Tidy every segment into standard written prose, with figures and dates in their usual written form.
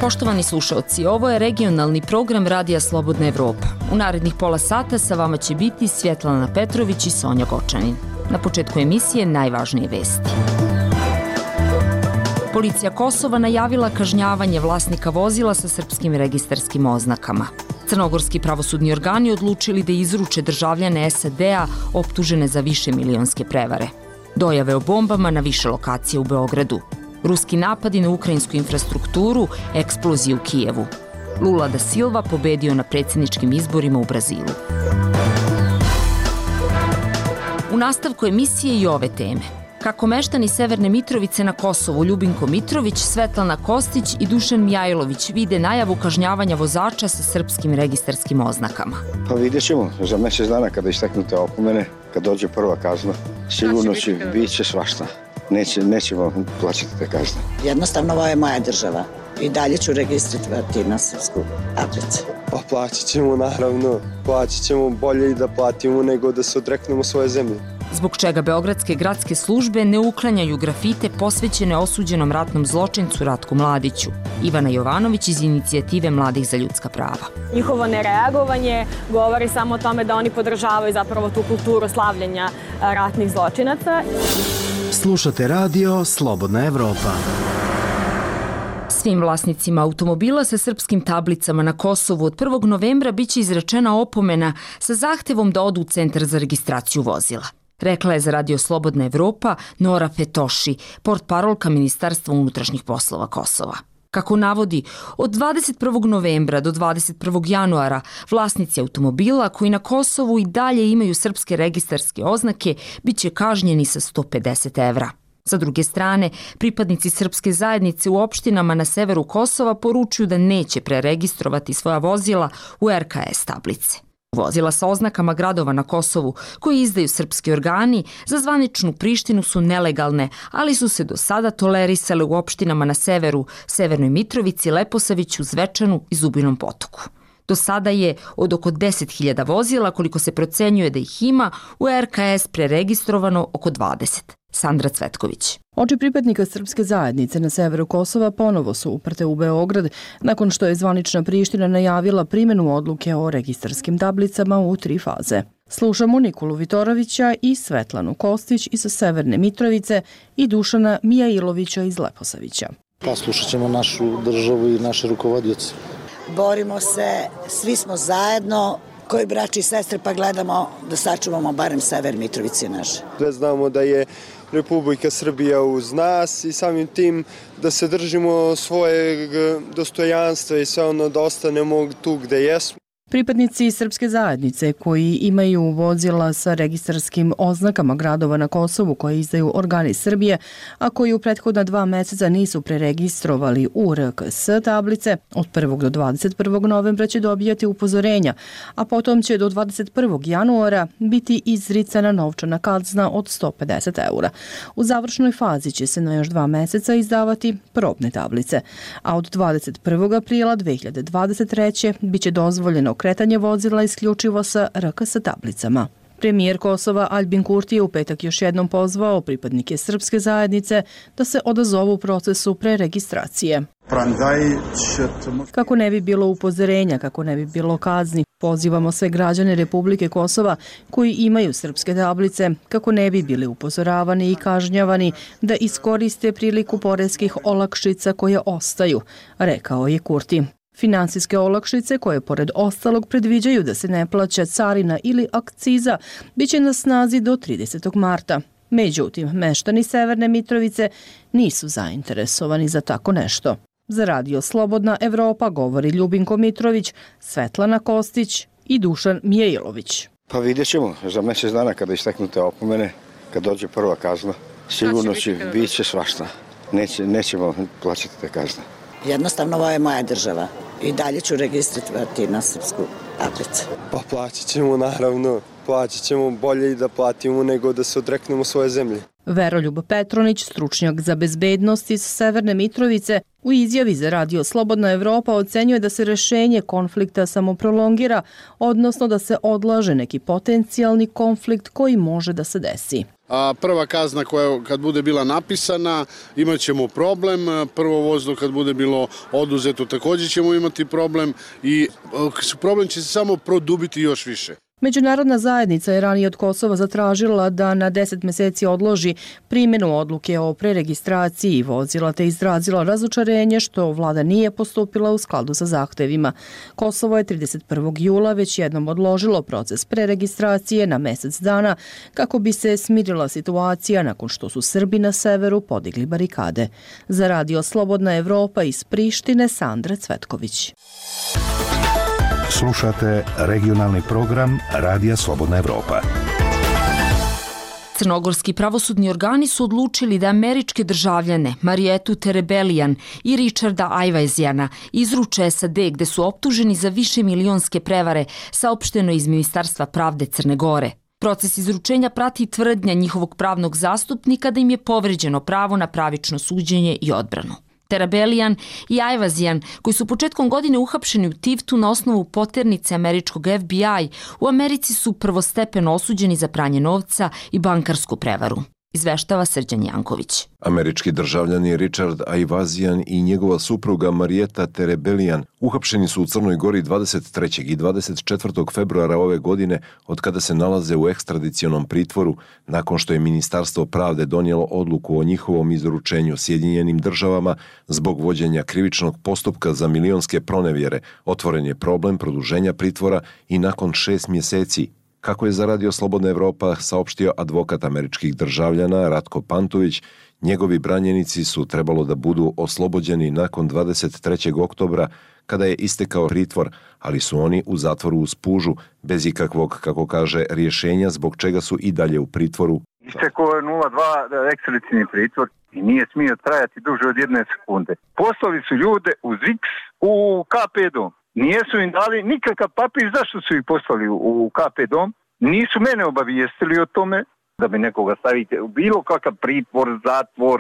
Poštovani slušaoci, ovo je regionalni program Radija Slobodna Evropa. U narednih pola sata sa vama će biti Svjetlana Petrović i Sonja Gočanin. Na početku emisije najvažnije vesti. Policija Kosova najavila kažnjavanje vlasnika vozila sa srpskim registarskim oznakama. Crnogorski pravosudni organi odlučili da izruče državljane SAD-a optužene za višemilionske prevare. Dojave o bombama na više lokacije u Beogradu. Ruski napadi na ukrajinsku infrastrukturu, eksplozije u Kijevu. Lula da Silva pobedio na predsjedničkim izborima u Brazilu. U nastavku emisije i ove teme. Kako meštani Severne Mitrovice na Kosovu Ljubinko Mitrović, Svetlana Kostić i Dušan Mijajlović vide najavu kažnjavanja vozača sa srpskim registarskim oznakama. Pa vidjet ćemo za mjesec dana kada isteknu te opomene, kad dođe prva kazna, sigurno će biti svašta. Nećemo plaćati te kazne. Jednostavno, ovo je moja država i dalje ću registrirati na srpsku tablicu. Pa plaćat ćemo, naravno. Plaćat ćemo bolje i da platimo nego da se odreknemo svoje zemlje. Zbog čega beogradske gradske službe ne uklanjaju grafite posvećene osuđenom ratnom zločincu Ratku Mladiću. Ivana Jovanović iz inicijative Mladih za ljudska prava. Njihovo nereagovanje govori samo o tome da oni podržavaju zapravo tu kulturu slavljenja ratnih zločinaca. Slušate radio Slobodna Evropa. Svim vlasnicima automobila sa srpskim tablicama na Kosovu od 1. novembra biće izrečena opomena sa zahtevom da odu u centar za registraciju vozila. Rekla je za radio Slobodna Evropa Nora Fetoši, portparolka Ministarstva unutrašnjih poslova Kosova. Kako navodi, od 21. novembra do 21. januara vlasnici automobila koji na Kosovu i dalje imaju srpske registarske oznake biće kažnjeni sa 150 evra. Sa druge strane, pripadnici srpske zajednice u opštinama na severu Kosova poručuju da neće preregistrovati svoja vozila u RKS tablice. Vozila sa oznakama gradova na Kosovu koji izdaju srpski organi za zvaničnu Prištinu su nelegalne, ali su se do sada tolerisale u opštinama na severu, Severnoj Mitrovici, Leposaviću, Zvečanu i Zubinom Potoku. Do sada je od oko 10.000 vozila, koliko se procenjuje da ih ima, u RKS preregistrovano oko 20. Sandra Cvetković. Oči pripadnika srpske zajednice na severu Kosova ponovo su uprte u Beograd nakon što je zvanična Priština najavila primjenu odluke o registarskim tablicama u 3 faze. Slušamo Nikolu Vitorovića i Svetlanu Kostić iz Severne Mitrovice i Dušana Mijailovića iz Leposavića. Pa slušat ćemo našu državu i naše rukovodioce. Borimo se, svi smo zajedno, koji braći i sestre, pa gledamo da sačuvamo barem Sever Mitrovice naše. Sve znamo da je Republika Srbija uz nas i samim tim da se držimo svojeg dostojanstva i sve ono da ostanemo tu gde jesmo. Pripadnici srpske zajednice koji imaju vozila sa registarskim oznakama gradova na Kosovu koje izdaju organi Srbije, a koji u prethodna 2 meseca nisu preregistrovali u RKS tablice, od 1. do 21. novembra će dobijati upozorenja, a potom će do 21. januara biti izricana novčana kazna od 150 eura. U završnoj fazi će se na još 2 meseca izdavati probne tablice, a od 21. aprila 2023. biće dozvoljeno kretanje vozila isključivo sa RKS tablicama. Premijer Kosova Aljbin Kurti je u petak još jednom pozvao pripadnike srpske zajednice da se odazovu u procesu preregistracije. Kako ne bi bilo upozorenja, kako ne bi bilo kazni, pozivamo sve građane Republike Kosova koji imaju srpske tablice, kako ne bi bili upozoravani i kažnjavani, da iskoriste priliku poreskih olakšica koje ostaju, rekao je Kurti. Finansijske olakšice koje pored ostalog predviđaju da se ne plaća carina ili akciza biće na snazi do 30. marta. Međutim, meštani Severne Mitrovice nisu zainteresovani za tako nešto. Za radio Slobodna Evropa govori Ljubinko Mitrović, Svetlana Kostić i Dušan Mijailović. Pa vidjet ćemo za mjesec dana kada isteknu te opomene, kad dođe prva kazna, sigurno će biti svašta. Nećemo plaćati te kazne. Jednostavno, ovo je moja država i dalje ću registrirati na srpsku tablicu. Pa plaćat ćemo, naravno. Plaćat ćemo bolje i da platimo nego da se odreknemo svoje zemlje. Veroljub Petronić, stručnjak za bezbednost iz Severne Mitrovice, u izjavi za Radio Slobodna Evropa ocenjuje da se rešenje konflikta samo prolongira, odnosno da se odlaže neki potencijalni konflikt koji može da se desi. A prva kazna koja kad bude bila napisana imat ćemo problem, prvo vozilo kad bude bilo oduzeto također ćemo imati problem i problem će se samo produbiti još više. Međunarodna zajednica je ranije od Kosova zatražila da na 10 meseci odloži primjenu odluke o preregistraciji vozila te izrazila razočarenje što vlada nije postupila u skladu sa zahtevima. Kosovo je 31. jula već jednom odložilo proces preregistracije na mesec dana kako bi se smirila situacija nakon što su Srbi na severu podigli barikade. Za Radio Slobodna Evropa iz Prištine, Sandra Cvetković. Slušate regionalni program Radija Slobodna Evropa. Crnogorski pravosudni organi su odlučili da američke državljane Marijetu Terebelijan i Richarda Ajvazijana izruče SAD gde su optuženi za višemilionske prevare, saopšteno iz Ministarstva pravde Crne Gore. Proces izručenja prati tvrdnja njihovog pravnog zastupnika da im je povređeno pravo na pravično suđenje i odbranu. Terebelijan i Ajvazijan, koji su početkom godine uhapšeni u Tivtu na osnovu poternice američkog FBI, u Americi su prvostepeno osuđeni za pranje novca i bankarsku prevaru. Izveštava Srđan Janković. Američki državljani Richard Ajvazijan i njegova supruga Marijeta Terebelijan uhapšeni su u Crnoj Gori 23. i 24. februara ove godine od kada se nalaze u ekstradicionom pritvoru nakon što je Ministarstvo pravde donijelo odluku o njihovom izručenju Sjedinjenim državama zbog vođenja krivičnog postupka za milionske pronevjere. Otvoren je problem produženja pritvora i nakon 6 mjeseci. Kako je za Radio Slobodna Evropa saopštio advokat američkih državljana Ratko Pantović, njegovi branjenici su trebalo da budu oslobođeni nakon 23. oktobra kada je istekao pritvor, ali su oni u zatvoru uz pužu, bez ikakvog, kako kaže, rješenja zbog čega su i dalje u pritvoru. Istekao je 0,2 ekstradicijni pritvor i nije smio trajati duže od 1 sekunde. Poslali su ljude uz X u KP dom. Nijesu im dali nikakav papir zašto su ih poslali u KP dom. Nisu mene obavijestili o tome da bi nekoga stavite u bilo kakav pritvor, zatvor,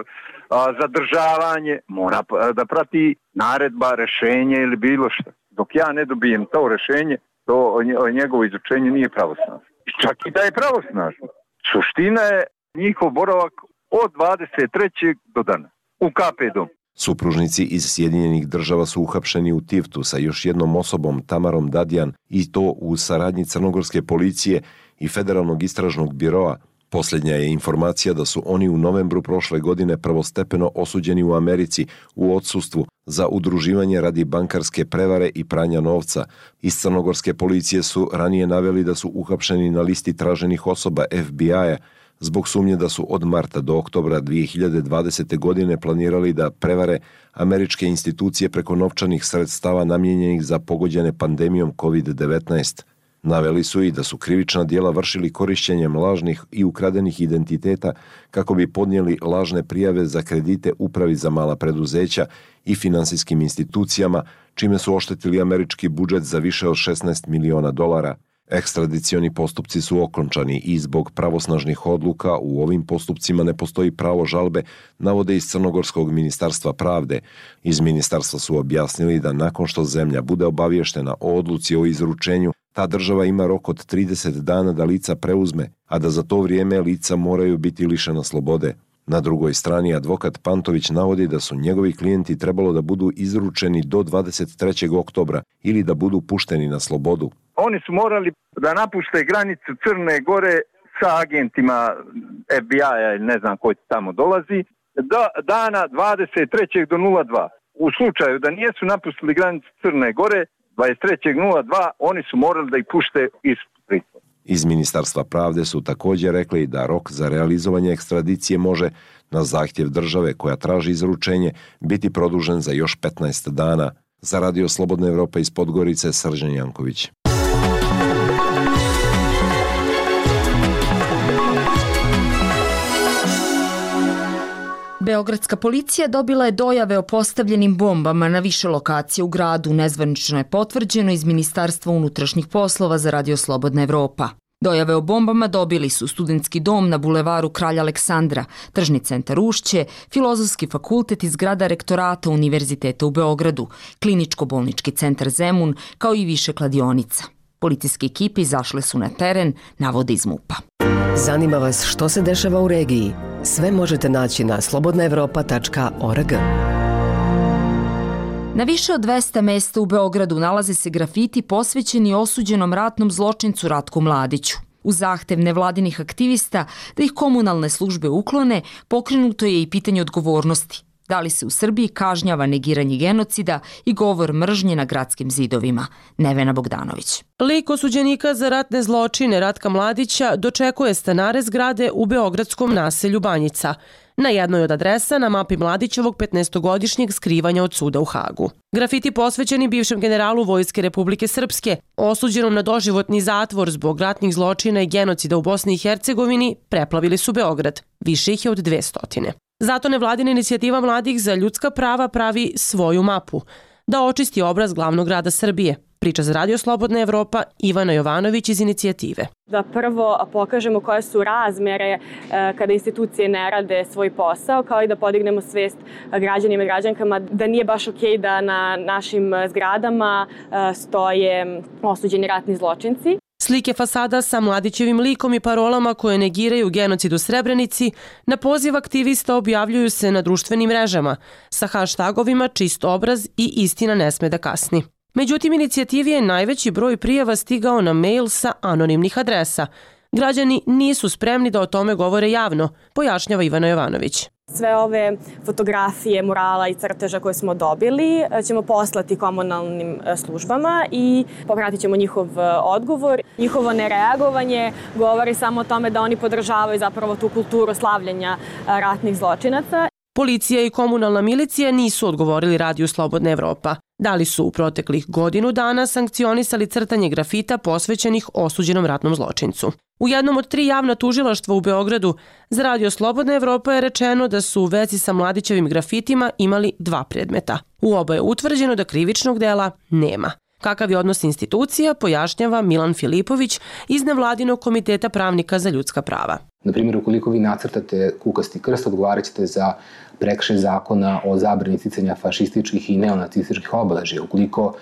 zadržavanje. Mora da prati naredba, rešenje ili bilo što. Dok ja ne dobijem to rešenje, to njegovo izučenje nije pravosnažno. Čak i da je pravosnažno. Suština je njihov boravak od 23. do dana u KP dom. Supružnici iz Sjedinjenih država su uhapšeni u Tivtu sa još jednom osobom, Tamarom Dadjan, i to u saradnji crnogorske policije i Federalnog istražnog biroa. Posljednja je informacija da su oni u novembru prošle godine prvostepeno osuđeni u Americi u odsustvu za udruživanje radi bankarske prevare i pranja novca. Iz crnogorske policije su ranije naveli da su uhapšeni na listi traženih osoba FBI-a zbog sumnje da su od marta do oktobra 2020. godine planirali da prevare američke institucije preko novčanih sredstava namijenjenih za pogođene pandemijom COVID-19. Naveli su i da su krivična djela vršili korišćenjem lažnih i ukradenih identiteta kako bi podnijeli lažne prijave za kredite upravi za mala preduzeća i finansijskim institucijama, čime su oštetili američki budžet za više od $16 miliona. Ekstradicioni postupci su okončani i zbog pravosnažnih odluka u ovim postupcima ne postoji pravo žalbe, navode iz Crnogorskog ministarstva pravde. Iz ministarstva su objasnili da nakon što zemlja bude obavještena o odluci o izručenju, ta država ima rok od 30 dana da lica preuzme, a da za to vrijeme lica moraju biti lišena slobode. Na drugoj strani advokat Pantović navodi da su njegovi klijenti trebalo da budu izručeni do 23. oktobra ili da budu pušteni na slobodu. Oni su morali da napušte granicu Crne Gore sa agentima FBI-a ili ne znam koji tamo dolazi, do dana 23. do 02. U slučaju da nijesu napustili granicu Crne Gore, 23.02, oni su morali da ih pušte iz pritvora. Iz Ministarstva pravde su također rekli da rok za realizovanje ekstradicije može, na zahtjev države koja traži izručenje, biti produžen za još 15 dana. Za Radio Slobodna Evropa iz Podgorice, Srđan Janković. Beogradska policija dobila je dojave o postavljenim bombama na više lokacija u gradu. Nezvanično je potvrđeno iz Ministarstva unutrašnjih poslova za Radio Slobodna Evropa. Dojave o bombama dobili su Studentski dom na bulevaru Kralja Aleksandra, Tržni centar Ušće, Filozofski fakultet i zgrada rektorata Univerziteta u Beogradu, Kliničko-bolnički centar Zemun, kao i više kladionica. Policijske ekipe izašle su na teren, navode iz MUP-a. Zanima vas što se dešava u regiji? Sve možete naći na slobodnaevropa.org. Na više od 200 mesta u Beogradu nalaze se grafiti posvećeni osuđenom ratnom zločincu Ratku Mladiću. U zahtev nevladinih aktivista da ih komunalne službe uklone, pokrenuto je i pitanje odgovornosti. Da li se u Srbiji kažnjava negiranje genocida i govor mržnje na gradskim zidovima? Nevena Bogdanović. Lik osuđenika za ratne zločine Ratka Mladića dočekuje stanare zgrade u beogradskom naselju Banjica. Na jednoj od adresa na mapi Mladićevog 15-godišnjeg skrivanja od suda u Hagu. Grafiti posvećeni bivšem generalu Vojske Republike Srpske, osuđenom na doživotni zatvor zbog ratnih zločina i genocida u Bosni i Hercegovini, preplavili su Beograd. Više ih je od 200. Zato nevladina inicijativa mladih za ljudska prava pravi svoju mapu, da očisti obraz glavnog grada Srbije. Priča za Radio Slobodna Evropa Ivana Jovanović iz inicijative. Da prvo pokažemo koje su razmere kada institucije ne rade svoj posao, kao i da podignemo svest građanima i građankama da nije baš okej da na našim zgradama stoje osuđeni ratni zločinci. Slike fasada sa Mladićevim likom i parolama koje negiraju genocid u Srebrenici na poziv aktivista objavljuju se na društvenim mrežama sa hashtagovima čist obraz i istina ne sme da kasni. Međutim, inicijativi je najveći broj prijava stigao na mail sa anonimnih adresa. Građani nisu spremni da o tome govore javno, pojašnjava Ivana Jovanović. Sve ove fotografije, murala i crteža koje smo dobili ćemo poslati komunalnim službama i popratit ćemo njihov odgovor. Njihovo nereagovanje govori samo o tome da oni podržavaju zapravo tu kulturu slavljenja ratnih zločinaca. Policija i komunalna milicija nisu odgovorili Radiju Slobodna Evropa. Da li su u proteklih godinu dana sankcionisali crtanje grafita posvećenih osuđenom ratnom zločincu. U jednom od 3 javna tužilaštva u Beogradu za Radio Slobodna Evropa je rečeno da su u vezi sa Mladićevim grafitima imali 2 predmeta. U oba je utvrđeno da krivičnog dela nema. Kakav je odnos institucija, pojašnjava Milan Filipović iz nevladinog komiteta pravnika za ljudska prava. Na primjer, ukoliko vi nacrtate kukasti krst, odgovarat ćete za prekršaj zakona o zabrani isticanja fašističkih i neonacističkih obeležja. Ukoliko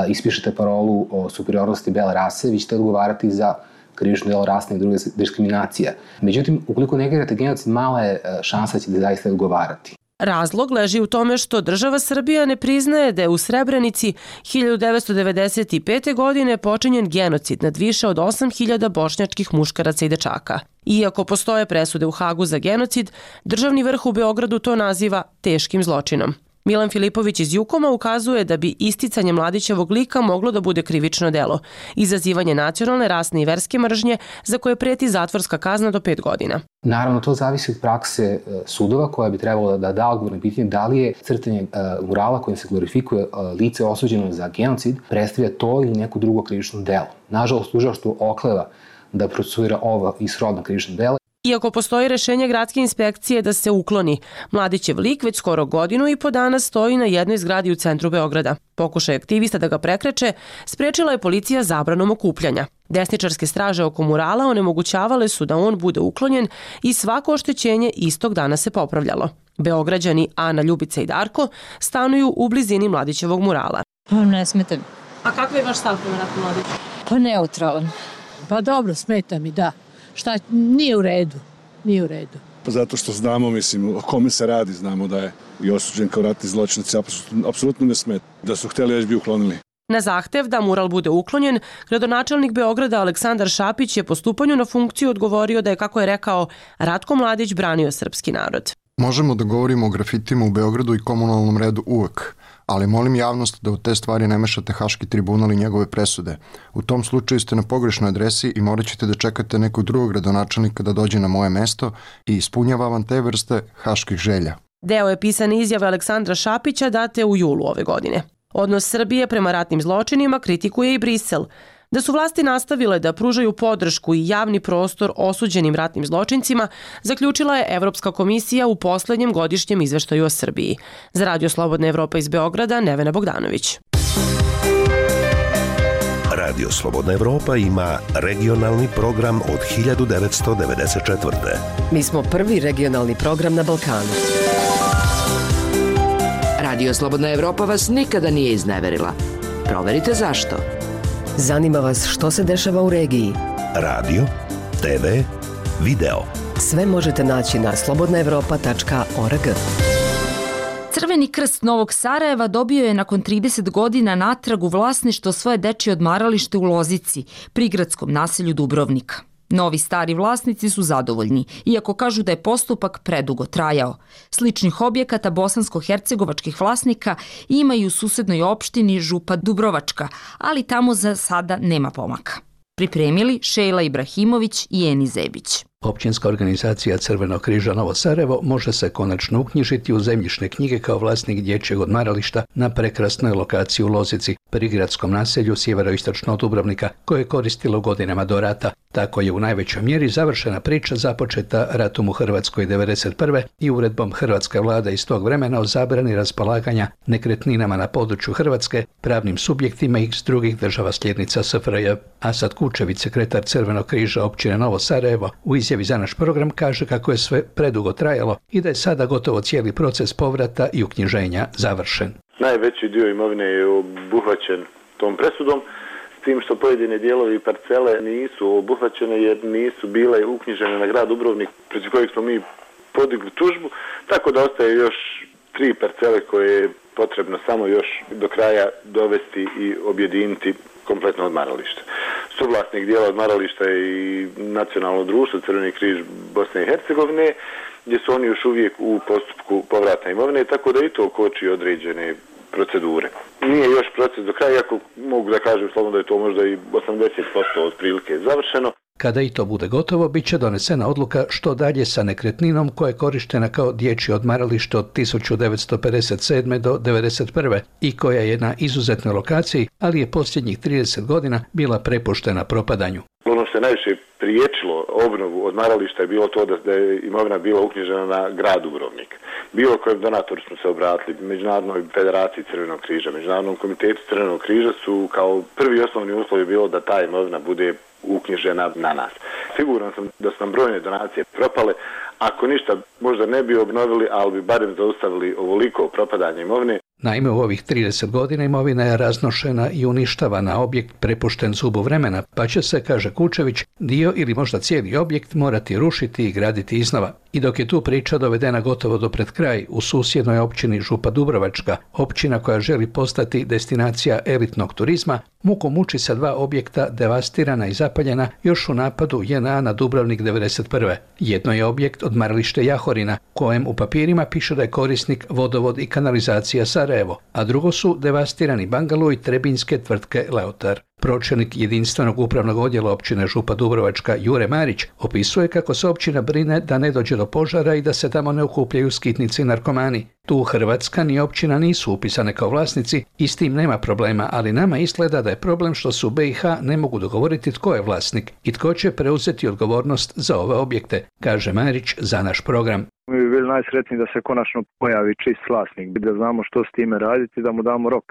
ispišete parolu o superiornosti bele rase, vi ćete odgovarati za krivično delo rasne i druge diskriminacije. Međutim, ukoliko negirate genocid, mala je šansa da ćete zaista odgovarati. Razlog leži u tome što država Srbija ne priznaje da je u Srebrenici 1995. godine počinjen genocid nad više od 8.000 bošnjačkih muškaraca i dečaka. Iako postoje presude u Hagu za genocid, državni vrh u Beogradu to naziva teškim zločinom. Milan Filipović iz Jukoma ukazuje da bi isticanje Mladićevog lika moglo da bude krivično delo, izazivanje nacionalne, rasne i verske mržnje za koje preti zatvorska kazna do 5 godina. Naravno, to zavisi od prakse sudova koja bi trebalo da da odgovor na pitanje da li je crtanje murala kojim se glorifikuje lice osuđeno za genocid predstavlja to ili neko drugo krivično delo. Nažalost, tužilaštvo okleva da procesuira ovo i srodno krivično delo. Iako postoji rešenje gradske inspekcije da se ukloni, Mladićev lik već skoro 1,5 godinu stoji na jednoj zgradi u centru Beograda. Pokušaj aktivista da ga prekreče sprečila je policija zabranom okupljanja. Desničarske straže oko murala onemogućavale su da on bude uklonjen i svako oštećenje istog dana se popravljalo. Beograđani Ana, Ljubica i Darko stanuju u blizini Mladićevog murala. Ne smeta mi. A kakav je vaš stav prema Ratku Mladiću? Pa neutralan. Pa dobro, smeta mi, da. Šta, nije u redu. Zato što znamo, mislim, o kome se radi, znamo da je i osuđen kao ratni zločinac, apsolutno ne smeta. Da su hteli, već bi uklonili. Na zahtev da mural bude uklonjen, gradonačelnik Beograda Aleksandar Šapić je po stupanju na funkciju odgovorio da je, kako je rekao, Ratko Mladić branio srpski narod. Možemo da govorimo o grafitima u Beogradu i komunalnom redu uvek, ali molim javnost da u te stvari ne mešate Haški tribunal i njegove presude. U tom slučaju ste na pogrešnoj adresi i morat ćete da čekate nekog drugog gradonačelnika da dođe na moje mesto i ispunjava vam te vrste haških želja. Deo je pisane izjave Aleksandra Šapića date u julu ove godine. Odnos Srbije prema ratnim zločinima kritikuje i Brisel. Da su vlasti nastavile da pružaju podršku i javni prostor osuđenim ratnim zločincima, zaključila je Evropska komisija u poslednjem godišnjem izveštaju o Srbiji. Za Radio Slobodna Evropa iz Beograda, Nevena Bogdanović. Radio Slobodna Evropa ima regionalni program od 1994. Mi smo prvi regionalni program na Balkanu. Radio Slobodna Evropa vas nikada nije izneverila. Proverite zašto. Zanima vas što se dešava u regiji. Radio, TV, video. Sve možete naći na slobodnaevropa.org. Crveni krst Novog Sarajeva dobio je nakon 30 godina natrag u vlasništvo svoje dečje odmaralište u Lozici, prigradskom naselju Dubrovnika. Novi stari vlasnici su zadovoljni, iako kažu da je postupak predugo trajao. Sličnih objekata bosansko-hercegovačkih vlasnika ima i u susednoj opštini Župa Dubrovačka, ali tamo za sada nema pomaka. Pripremili Šejla Ibrahimović i Eni Zebić. Općinska organizacija Crvenog križa Novo Sarajevo može se konačno uknjižiti u zemljišne knjige kao vlasnik dječjeg odmarališta na prekrasnoj lokaciji u Lozici, prigradskom naselju sjeveroistočno od Dubrovnika, koje je koristilo godinama do rata. Tako je u najvećoj mjeri završena priča započeta ratom u Hrvatskoj 1991. i uredbom hrvatske vlade iz tog vremena o zabrani raspolaganja nekretninama na području Hrvatske pravnim subjektima iz drugih država sljednica SFRJ. Asad Kučević, sekretar Crvenog križa općine Novo Sarajevo, u izjavi za naš program kaže kako je sve predugo trajalo i da je sada gotovo cijeli proces povrata i uknjiženja završen. Najveći dio imovine je obuhvaćen tom presudom, s tim što pojedine dijelovi parcele nisu obuhvaćene jer nisu bile uknjižene na grad Dubrovnik, protiv kojeg smo mi podigli tužbu, tako da ostaje još 3 parcele koje je potrebno samo još do kraja dovesti i objediniti kompletno odmaralište. Suvlasnik dijela odmarališta je i nacionalno društvo Crveni križ Bosne i Hercegovine, gdje su oni još uvijek u postupku povrata imovine, tako da i to koči određene procedure. Nije još proces do kraja, iako mogu da kažem slobodno da je to možda i 80% otprilike završeno. Kada i to bude gotovo, bit će donesena odluka što dalje sa nekretninom koja je korištena kao dječje odmaralište od 1957. do 1991. i koja je na izuzetnoj lokaciji, ali je posljednjih 30 godina bila prepuštena propadanju. Ono što je najviše priječilo obnovu odmarališta je bilo to da je imovina bila uknjižena na grad Dubrovnik. Bilo kojem donatoru smo se obratili, Međunarodnoj federaciji Crvenog križa, Međunarodnom komitetu Crvenog križa su kao prvi osnovni uslov je bilo da ta imovina bude uknjižena na nas. Siguran sam da su nam brojne donacije propale. Ako ništa, možda ne bi obnovili, ali bi barem zaustavili ovoliko propadanje imovine. Naime, u ovih 30 godina imovina je raznošena i uništavana, objekt prepušten zubu vremena, pa će se, kaže Kučević, dio ili možda cijeli objekt morati rušiti i graditi iznova. I dok je tu priča dovedena gotovo do pred kraj, u susjednoj općini Župa Dubrovačka, općina koja želi postati destinacija elitnog turizma, muku muči sa 2 objekta devastirana i zapaljena još u napadu JNA na Dubrovnik 1991. Jedno je objekt odmaralište Jahorina, kojem u papirima piše da je korisnik vodovod i kanalizacija Sarajevo, a drugo su devastirani bangalo i trebinjske tvrtke Leotar. Pročelnik jedinstvenog upravnog odjela općine Župa Dubrovačka Jure Marić opisuje kako se općina brine da ne dođe do požara i da se tamo ne okupljaju skitnici i narkomani. Tu Hrvatska ni općina nisu upisane kao vlasnici i s tim nema problema, ali nama izgleda da je problem što su BiH ne mogu dogovoriti tko je vlasnik i tko će preuzeti odgovornost za ove objekte, kaže Marić za naš program. Mi bi bili najsretniji da se konačno pojavi čist vlasnik, da znamo što s time raditi, da mu damo rok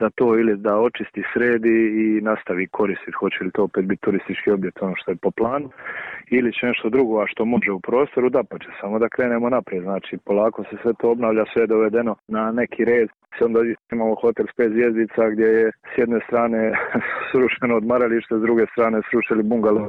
da to ili da očisti, sredi i nastavi koristiti. Hoće li to opet biti turistički objekt, ono što je po planu, ili će nešto drugo, a što može u prostoru, da pa će samo da krenemo naprijed. Znači, polako se sve to obnavlja, sve je dovedeno na neki red. Onda imamo hotel s 5 zvjezdica gdje je s jedne strane srušeno odmaralište, s druge strane srušili bungalo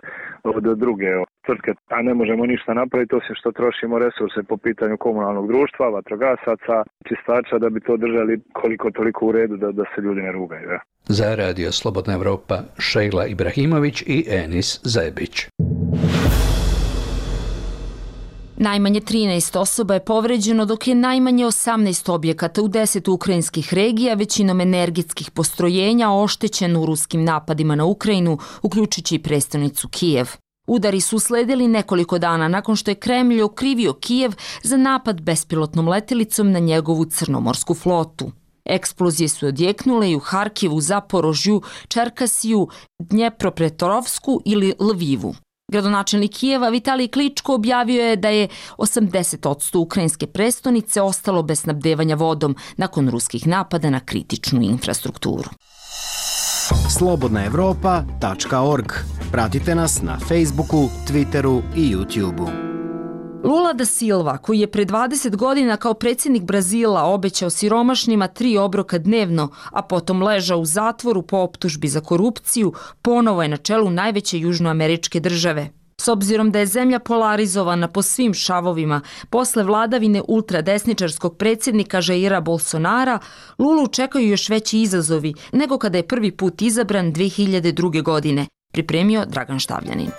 od druge tvrtke, a ne možemo ništa napraviti osim što trošimo resurse po pitanju komunalnog društva, vatrogasaca, čistača da bi to držali koliko toliko u redu da se ljudi ne rugaju. Ja. Za Radio Slobodna Evropa Šejla Ibrahimović i Enis Zebić. Najmanje 13 osoba je povređeno, dok je najmanje 18 objekata u 10 ukrajinskih regija, većinom energetskih postrojenja, oštećeno u ruskim napadima na Ukrajinu, uključujući i prestonicu Kijev. Udari su usledili nekoliko dana nakon što je Kremlj okrivio Kijev za napad bespilotnom letjelicom na njegovu crnomorsku flotu. Eksplozije su odjeknule i u Harkivu, Zaporožju, Čerkasiju, Dnjepropetrovsku ili Lvivu. Gradonačelnik Kijeva Vitalij Kličko objavio je da je 80% ukrajinske prestonice ostalo bez snabdevanja vodom nakon ruskih napada na kritičnu infrastrukturu. slobodnaevropa.org. Pratite nas na Facebooku, Twitteru i YouTubeu. Lula da Silva, koji je pre 20 godina kao predsjednik Brazila obećao siromašnima 3 obroka dnevno, a potom ležao u zatvoru po optužbi za korupciju, ponovo je na čelu najveće južnoameričke države. S obzirom da je zemlja polarizovana po svim šavovima, posle vladavine ultradesničarskog predsjednika Jaira Bolsonara, Lulu čekaju još veći izazovi nego kada je prvi put izabran 2002. godine, pripremio Dragan Štavljanin.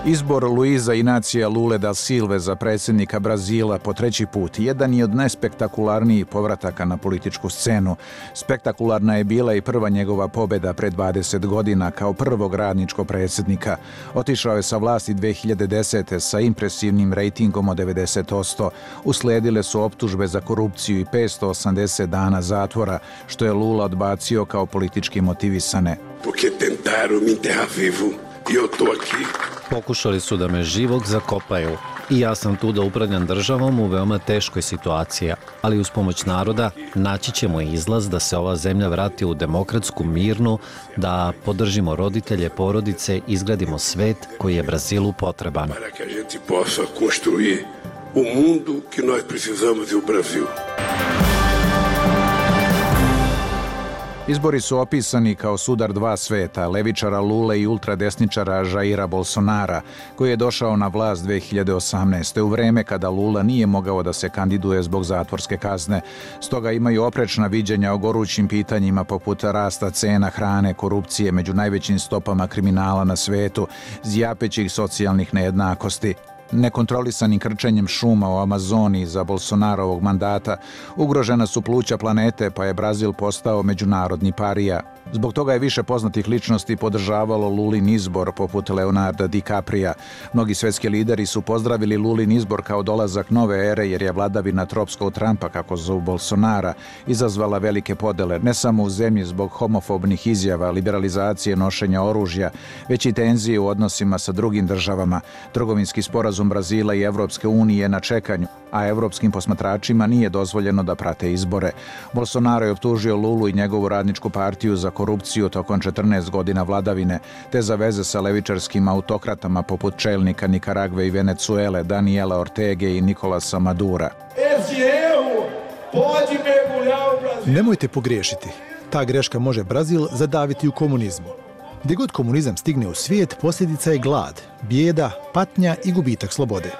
Izbor Luiza Inacija Lule da Silve za predsjednika Brazila po 3. put jedan je od najspektakularnijih povrataka na političku scenu. Spektakularna je bila i prva njegova pobjeda pred 20 godina kao prvog radničkog predsjednika. Otišao je sa vlasti 2010. sa impresivnim rejtingom od 90%. Usledile su optužbe za korupciju i 580 dana zatvora, što je Lula odbacio kao politički motivisane. Porque tentaram me enterrar vivo e eu tô aqui. Pokušali su da me živog zakopaju i ja sam tu da upravljam državom u veoma teškoj situaciji, ali uz pomoć naroda naći ćemo izlaz da se ova zemlja vrati u demokratsku, mirnu, da podržimo roditelje, porodice, izgradimo svet koji je Brazilu potreban. Para que a gente possa construir o mundo que nós precisamos u Brasil. Izbori su opisani kao sudar dva sveta, levičara Lule i ultradesničara Jaira Bolsonara, koji je došao na vlast 2018. u vreme kada Lula nije mogao da se kandiduje zbog zatvorske kazne. Stoga imaju oprečna viđenja o gorućim pitanjima poput rasta cena hrane, korupcije među najvećim stopama kriminala na svetu, zjapećih socijalnih nejednakosti. Nekontrolisanim krčenjem šuma u Amazoniji za Bolsonarovog mandata ugrožena su pluća planete, pa je Brazil postao međunarodni parija. Zbog toga je više poznatih ličnosti podržavalo Lulin izbor, poput Leonarda DiCaprija. Mnogi svetski lideri su pozdravili Lulin izbor kao dolazak nove ere, jer je vladavina tropskog Trumpa, kako zovu Bolsonara, izazvala velike podele, ne samo u zemlji zbog homofobnih izjava, liberalizacije nošenja oružja, već i tenzije u odnosima sa drugim državama. Trgovinski sporazum Brazila i Evropske unije na čekanju, a evropskim posmatračima nije dozvoljeno da prate izbore. Bolsonaro je optužio Lulu i njegovu radničku partiju za korupciju tokom 14 godina vladavine, te za veze sa levičarskim autokratama poput čelnika Nikaragve i Venecuele, Daniela Ortege i Nikolasa Madura. Nemojte pogriješiti. Ta greška može Brazil zadaviti u komunizmu. Gdje god komunizam stigne u svijet, posljedica je glad, bijeda, patnja i gubitak slobode.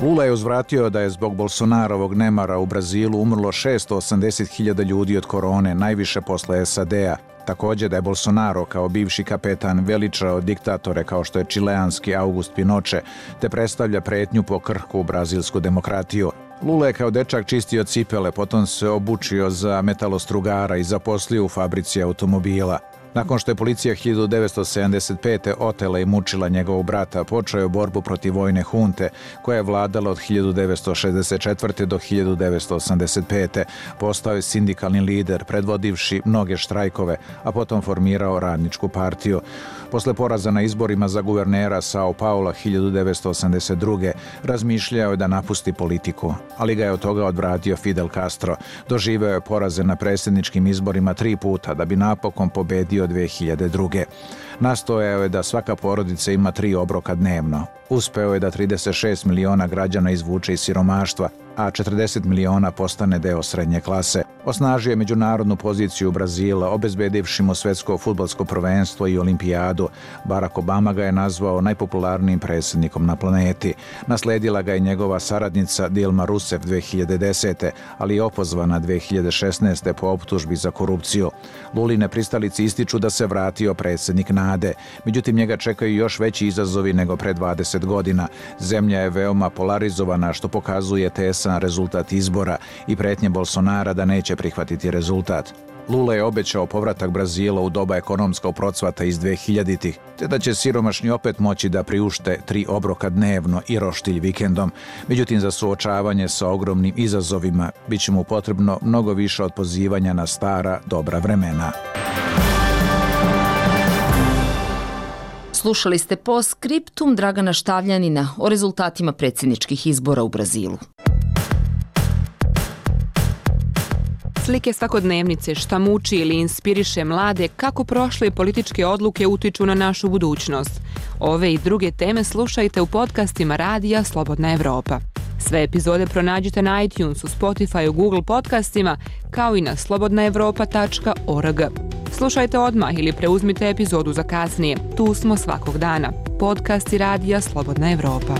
Lula je uzvratio da je zbog Bolsonarovog nemara u Brazilu umrlo 680.000 ljudi od korone, najviše posle SAD-a. Također da je Bolsonaro kao bivši kapetan veličao diktatore kao što je čileanski August Pinochet, te predstavlja pretnju po krhku brazilsku demokratiju. Lula je kao dečak čistio cipele, potom se obučio za metalostrugara i zaposlio u fabrici automobila. Nakon što je policija 1975. otela i mučila njegovog brata, počeo je borbu protiv vojne hunte, koja je vladala od 1964. do 1985. Postao je sindikalni lider, predvodivši mnoge štrajkove, a potom formirao radničku partiju. Posle poraza na izborima za guvernera Sao Paula 1982. razmišljao je da napusti politiku, ali ga je od toga odvratio Fidel Castro. Doživeo je poraze na predsjedničkim izborima 3 puta da bi napokon pobedio 2002. Nastojao je da svaka porodica ima 3 obroka dnevno. Uspeo je da 36 miliona građana izvuče iz siromaštva, a 40 miliona postane deo srednje klase. Osnažio je međunarodnu poziciju Brazila, obezbedivši mu svetsko fudbalsko prvenstvo i olimpijadu. Barack Obama ga je nazvao najpopularnijim predsjednikom na planeti. Nasledila ga je njegova saradnica Dilma Rousseff 2010. ali je opozvana 2016. po optužbi za korupciju. Luline pristalici ističu da se vratio predsjednik nade. Međutim, njega čekaju još veći izazovi nego pre 20 godina. Zemlja je veoma polarizovana, što pokazuje tesan rezultat izbora i pretnje Bolsonara da neće prihvatiti rezultat. Lula je obećao povratak Brazila u doba ekonomskog procvata iz 2000-ih, te da će siromašni opet moći da priušte 3 obroka dnevno i roštilj vikendom. Međutim, za suočavanje sa ogromnim izazovima bit će mu potrebno mnogo više od pozivanja na stara dobra vremena. Slušali ste postscriptum Dragana Štavljanina o rezultatima predsjedničkih izbora u Brazilu. Slike svakodnevnice, šta muči ili inspiriše mlade, kako prošle političke odluke utiču na našu budućnost. Ove i druge teme slušajte u podcastima Radija Slobodna Evropa. Sve epizode pronađite na iTunesu, Spotifyu, Google podcastima, kao i na slobodnaevropa.org. Slušajte odmah ili preuzmite epizodu za kasnije. Tu smo svakog dana. Podcasti Radija Slobodna Evropa.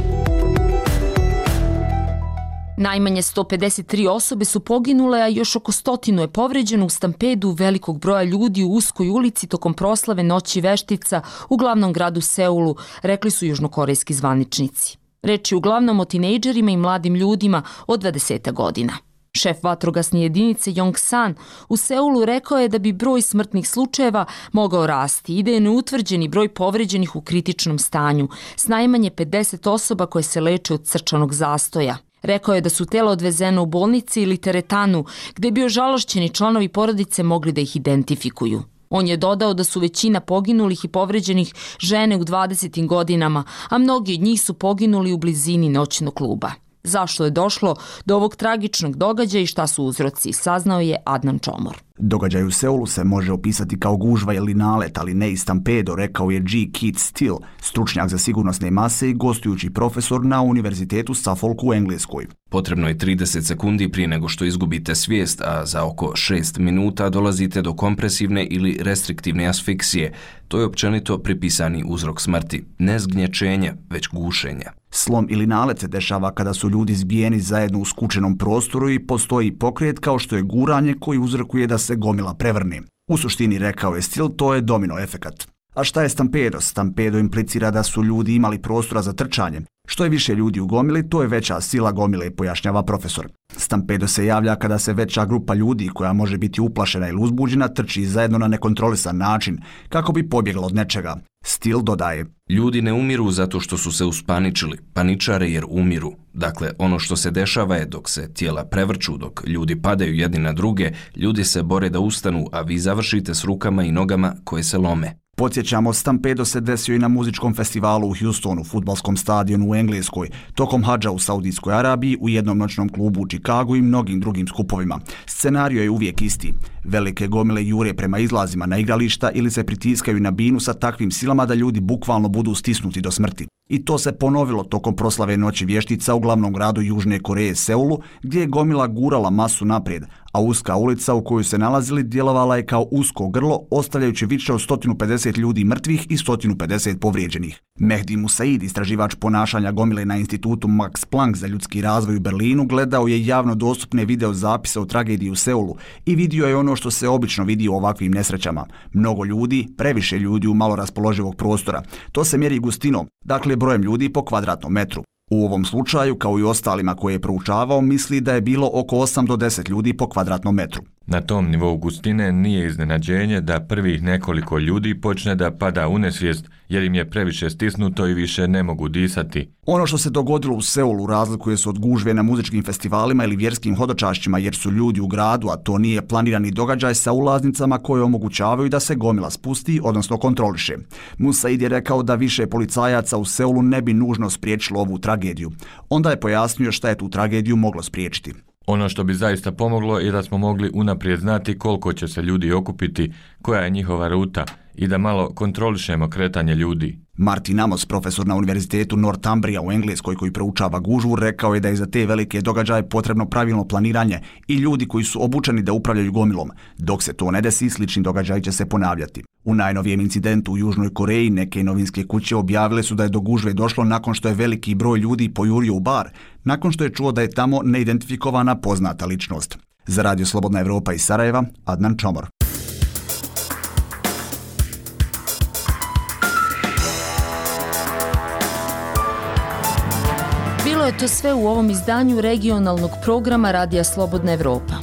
Najmanje 153 osobe su poginule, a još oko 100 je povređeno u stampedu velikog broja ljudi u uskoj ulici tokom proslave Noći veštica u glavnom gradu Seulu, rekli su južnokorejski zvaničnici. Reč je uglavnom o tinejdžerima i mladim ljudima od 20 godina. Šef vatrogasne jedinice Yong San u Seulu rekao je da bi broj smrtnih slučajeva mogao rasti i da je neutvrđeni broj povređenih u kritičnom stanju, s najmanje 50 osoba koje se leče od srčanog zastoja. Rekao je da su tela odvezena u bolnici ili teretanu, gde bi ožalošćeni članovi porodice mogli da ih identifikuju. On je dodao da su većina poginulih i povređenih žene u 20. godinama, a mnogi od njih su poginuli u blizini noćnog kluba. Zašto je došlo do ovog tragičnog događaja i šta su uzroci, saznao je Adnan Čomor. Događaj u Seulu se može opisati kao gužva ili nalet, ali ne i stampedo, rekao je G. Keith Steele, stručnjak za sigurnosne mase i gostujući profesor na Univerzitetu Suffolk u Engleskoj. Potrebno je 30 sekundi prije nego što izgubite svijest, a za oko 6 minuta dolazite do kompresivne ili restriktivne asfiksije. To je općenito pripisani uzrok smrti. Ne zgnječenje, već gušenje. Slom ili nalet se dešava kada su ljudi zbijeni zajedno u skučenom prostoru i postoji pokret kao što je guranje koji uzrokuje da se gomila prevrne. U suštini, rekao je Steele, to je domino efekat. A šta je stampedo? Stampedo implicira da su ljudi imali prostora za trčanje. Što je više ljudi u gomili, to je veća sila gomile, pojašnjava profesor. Stampedo se javlja kada se veća grupa ljudi, koja može biti uplašena ili uzbuđena, trči zajedno na nekontrolisan način, kako bi pobjegla od nečega. Steele dodaje: Ljudi ne umiru zato što su se uspaničili, paničare jer umiru. Dakle, ono što se dešava je dok se tijela prevrću, dok ljudi padaju jedni na druge, ljudi se bore da ustanu, a vi završite s rukama i nogama koje se lome. Podsjećamo, stampedo se desio i na muzičkom festivalu u Houstonu, fudbalskom stadionu u Engleskoj, tokom hadža u Saudijskoj Arabiji, u jednom noćnom klubu u Čikagu i mnogim drugim skupovima. Scenario je uvijek isti. Velike gomile jure prema izlazima na igrališta ili se pritiskaju na binu sa takvim silama da ljudi bukvalno budu stisnuti do smrti. I to se ponovilo tokom proslave Noći vještica u glavnom gradu Južne Koreje Seulu, gdje je gomila gurala masu naprijed, a uska ulica u kojoj se nalazili djelovala je kao usko grlo, ostavljajući više od 150 ljudi mrtvih i 150 povrijeđenih. Mehdi Musaid, istraživač ponašanja gomile na institutu Max Planck za ljudski razvoj u Berlinu, gledao je javno dostupne video zapise o tragediji u Seulu i vidio je ono što se obično vidi u ovakvim nesrećama. Mnogo ljudi, previše ljudi u malo raspoloživog prostora. To se mjeri gustinom, dakle brojem ljudi po kvadratnom metru. U ovom slučaju, kao i ostalima koje je proučavao, misli da je bilo oko 8 do 10 ljudi po kvadratnom metru. Na tom nivou gustine nije iznenađenje da prvih nekoliko ljudi počne da pada u nesvijest jer im je previše stisnuto i više ne mogu disati. Ono što se dogodilo u Seulu razlikuje se od gužve na muzičkim festivalima ili vjerskim hodočašćima jer su ljudi u gradu, a to nije planirani događaj, sa ulaznicama koje omogućavaju da se gomila spusti, odnosno kontroliše. Musaid je rekao da više policajaca u Seulu ne bi nužno spriječilo ovu tragediju. Onda je pojasnio šta je tu tragediju moglo spriječiti. Ono što bi zaista pomoglo je da smo mogli unaprijed znati koliko će se ljudi okupiti, koja je njihova ruta i da malo kontrolišemo kretanje ljudi. Martin Amos, profesor na Univerzitetu Northumbria u Engleskoj koji proučava gužvu, rekao je da je za te velike događaje potrebno pravilno planiranje i ljudi koji su obučeni da upravljaju gomilom. Dok se to ne desi, slični događaj će se ponavljati. U najnovijem incidentu u Južnoj Koreji neke novinske kuće objavile su da je do gužve došlo nakon što je veliki broj ljudi pojurio u bar, nakon što je čuo da je tamo neidentifikovana poznata ličnost. Za Radio Slobodna Evropa iz Sarajeva, Adnan Čomor. Bilo je to sve u ovom izdanju regionalnog programa Radija Slobodna Evropa.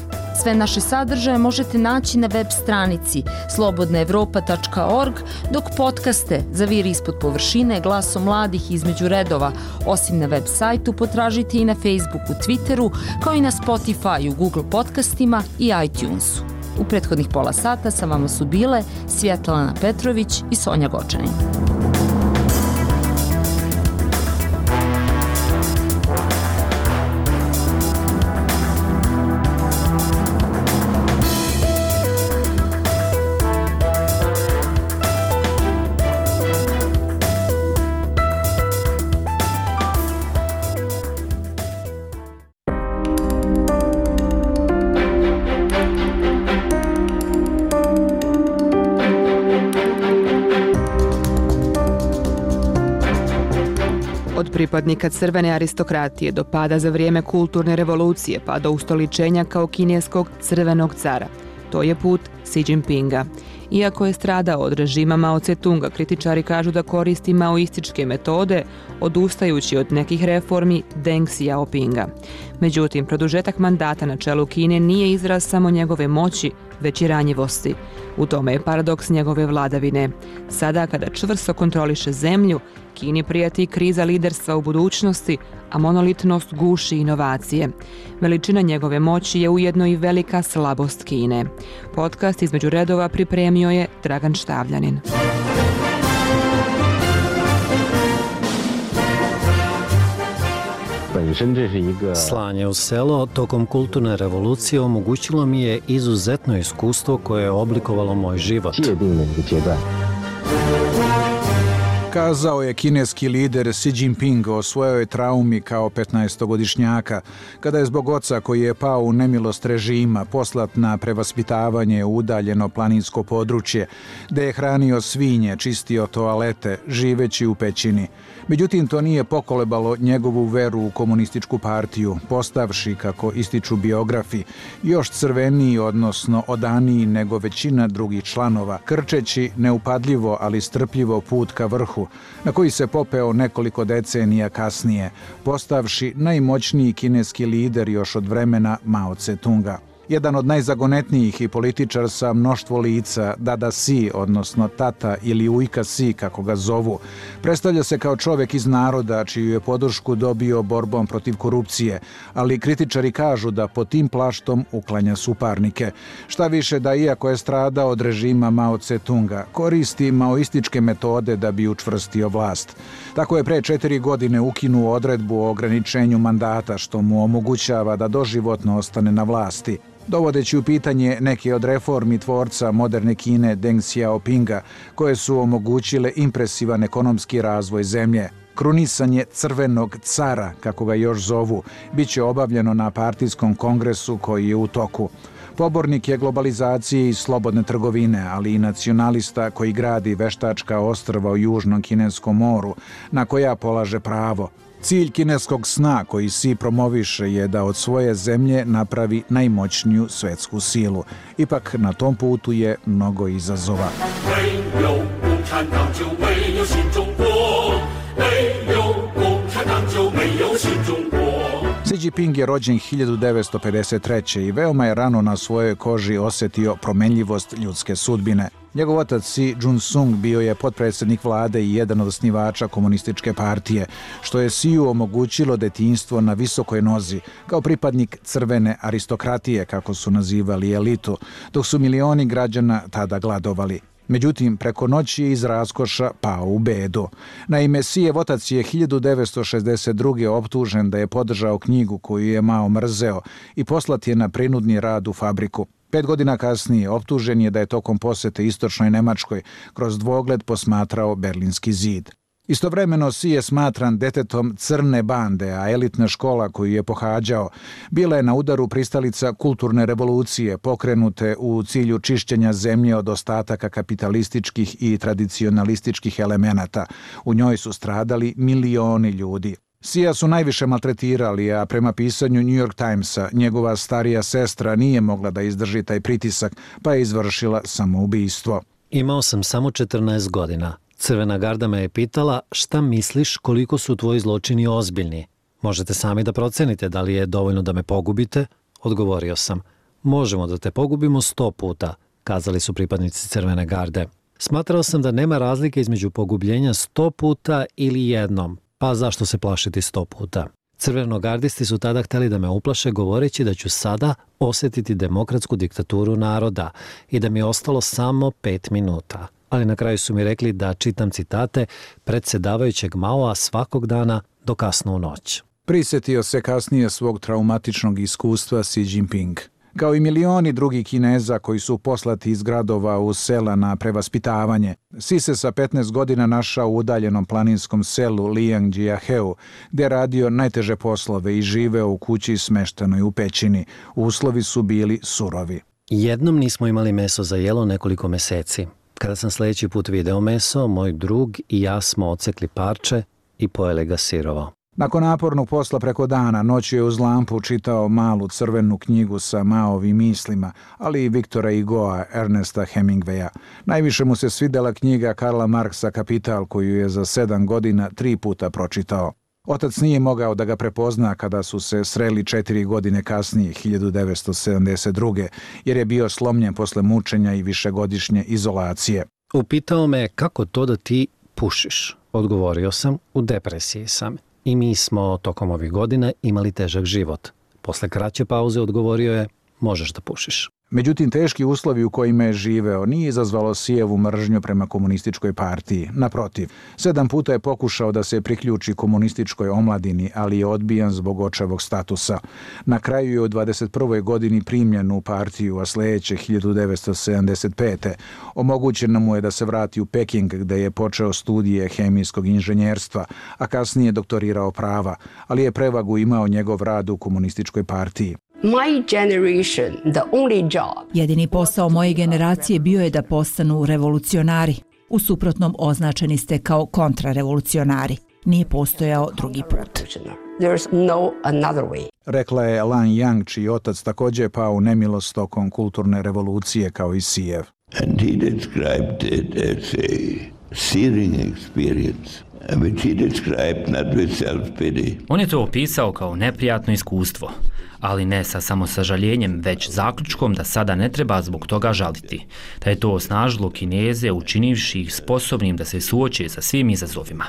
Sve naše sadržaje možete naći na web stranici slobodnaevropa.org, dok podcaste Zaviri ispod površine, Glasom mladih između redova, osim na web sajtu, potražite i na Facebooku, Twitteru, kao i na Spotifyu, Google podcastima i iTunesu. U prethodnih pola sata sa vama su bile Svjetlana Petrović i Sonja Gočanin. pripadnika crvene aristokratije do pada za vrijeme kulturne revolucije pa do ustoličenja kao kineskog crvenog cara. To je put Xi Jinpinga. Iako je stradao od režima Mao Tse-tunga, kritičari kažu da koristi maoističke metode, odustajući od nekih reformi Deng Xiaopinga. Međutim, produžetak mandata na čelu Kine nije izraz samo njegove moći, već i ranjivosti. U tome je paradoks njegove vladavine. Sada, kada čvrsto kontroliše zemlju, Kini prijeti kriza liderstva u budućnosti, a monolitnost guši inovacije. Veličina njegove moći je ujedno i velika slabost Kine. Podcast između redova pripremio je Dragan Štavljanin. Slanje u selo tokom kulturne revolucije omogućilo mi je izuzetno iskustvo koje je oblikovalo moj život. Kazao je kineski lider Xi Jinping o svojoj traumi kao 15-godišnjaka, kada je zbog oca koji je pao u nemilost režima poslat na prevaspitavanje u udaljeno planinsko područje, gde je hranio svinje, čistio toalete, živeći u pećini. Međutim, to nije pokolebalo njegovu veru u komunističku partiju, postavši, kako ističu biografi, još crveniji, odnosno odaniji nego većina drugih članova, krčeći neupadljivo, ali strpljivo put ka vrhu, na koji se popeo nekoliko decenija kasnije, postavši najmoćniji kineski lider još od vremena Mao Tse-tunga. Jedan od najzagonetnijih i političar sa mnoštvo lica, Dada Xi, odnosno tata ili ujka Xi, kako ga zovu, predstavlja se kao čovjek iz naroda čiju je podršku dobio borbom protiv korupcije, ali kritičari kažu da pod tim plaštom uklanja suparnike. Šta više da iako je stradao od režima Mao Tse-tunga, koristi maoističke metode da bi učvrstio vlast. Tako je pre 4 godine ukinuo odredbu o ograničenju mandata što mu omogućava da doživotno ostane na vlasti, dovodeći u pitanje neke od reformi tvorca moderne Kine Deng Xiaopinga, koje su omogućile impresivan ekonomski razvoj zemlje. Krunisanje crvenog cara, kako ga još zovu, bit će obavljeno na partijskom kongresu koji je u toku. Pobornik je globalizacije i slobodne trgovine, ali i nacionalista koji gradi veštačka ostrva u Južnom Kineskom moru, na koja polaže pravo. Cilj kineskog sna koji Xi promoviše je da od svoje zemlje napravi najmoćniju svetsku silu. Ipak na tom putu je mnogo izazova. Xi Jinping je rođen 1953. i veoma je rano na svojoj koži osjetio promenljivost ljudske sudbine. Njegov otac Xi Jun-sung bio je potpredsjednik vlade i jedan od osnivača komunističke partije, što je Xiu omogućilo detinjstvo na visokoj nozi, kao pripadnik crvene aristokratije, kako su nazivali elitu, dok su milioni građana tada gladovali. Međutim, preko noći je iz raskoša pao u bedu. Naime, Xijev otac je 1962. optužen da je podržao knjigu koju je Mao mrzeo i poslat je na prinudni rad u fabriku. 5 godina kasnije optužen je da je tokom posete istočnoj Nemačkoj kroz dvogled posmatrao Berlinski zid. Istovremeno Xi je smatran detetom crne bande, a elitna škola koju je pohađao bila je na udaru pristalica kulturne revolucije pokrenute u cilju čišćenja zemlje od ostataka kapitalističkih i tradicionalističkih elemenata. U njoj su stradali milioni ljudi. Xija su najviše maltretirali, a prema pisanju New York Timesa, njegova starija sestra nije mogla da izdrži taj pritisak, pa je izvršila samoubistvo. Imao sam samo 14 godina. Crvena garda me je pitala šta misliš koliko su tvoji zločini ozbiljni. Možete sami da procenite da li je dovoljno da me pogubite? Odgovorio sam. Možemo da te pogubimo 100 puta, kazali su pripadnici Crvene garde. Smatrao sam da nema razlike između pogubljenja 100 puta ili jednom, pa zašto se plašiti 100 puta? Crvenogardisti su tada hteli da me uplaše govoreći da ću sada osjetiti demokratsku diktaturu naroda i da mi je ostalo samo 5 minuta. Ali na kraju su mi rekli da čitam citate predsjedavajućeg Maoa svakog dana do kasno u noć. Prisjetio se kasnije svog traumatičnog iskustva Xi Jinping. Kao i milioni drugih Kineza koji su poslati iz gradova u sela na prevaspitavanje, Xi se sa 15 godina našao u udaljenom planinskom selu Liangjiaheu, gdje je radio najteže poslove i živeo u kući smeštenoj u pećini. Uslovi su bili surovi. Jednom nismo imali meso za jelo nekoliko meseci. Kada sam sljedeći put video meso, moj drug i ja smo odsekli parče i pojeli ga sirovo. Nakon napornog posla preko dana, noću je uz lampu čitao malu crvenu knjigu sa Maovim mislima, ali i Viktora Hugoa, Ernesta Hemingwaya. Najviše mu se svidela knjiga Karla Marksa Kapital, koju je za 7 godina 3 puta pročitao. Otac nije mogao da ga prepozna kada su se sreli 4 godine kasnije, 1972. jer je bio slomljen posle mučenja i višegodišnje izolacije. Upitao me kako to da ti pušiš. Odgovorio sam, u depresiji sam. I mi smo tokom ovih godina imali težak život. Posle kraće pauze odgovorio je, možeš da pušiš. Međutim, teški uslovi u kojima je živeo nije izazvalo Sijevu mržnju prema komunističkoj partiji. Naprotiv, 7 puta je pokušao da se priključi komunističkoj omladini, ali je odbijan zbog očevog statusa. Na kraju je u 21. godini primljen u partiju, a sledeće 1975. Omogućeno mu je da se vrati u Peking, gde je počeo studije hemijskog inženjerstva, a kasnije doktorirao prava, ali je prevagu imao njegov rad u komunističkoj partiji. Jedini posao moje generacije bio je da postanu revolucionari. U suprotnom označeni ste kao kontrarevolucionari. Nije postojao drugi put. Rekla je Lan Yang, čiji otac također pao u nemilost tokom kulturne revolucije kao i Sijev. And he described it as a searing experience, which he described not with self-pity. On je to opisao kao neprijatno iskustvo, ali ne sa samosažaljenjem, već zaključkom da sada ne treba zbog toga žaliti, da je to osnažilo Kineze učinivši ih sposobnim da se suoče sa svim izazovima.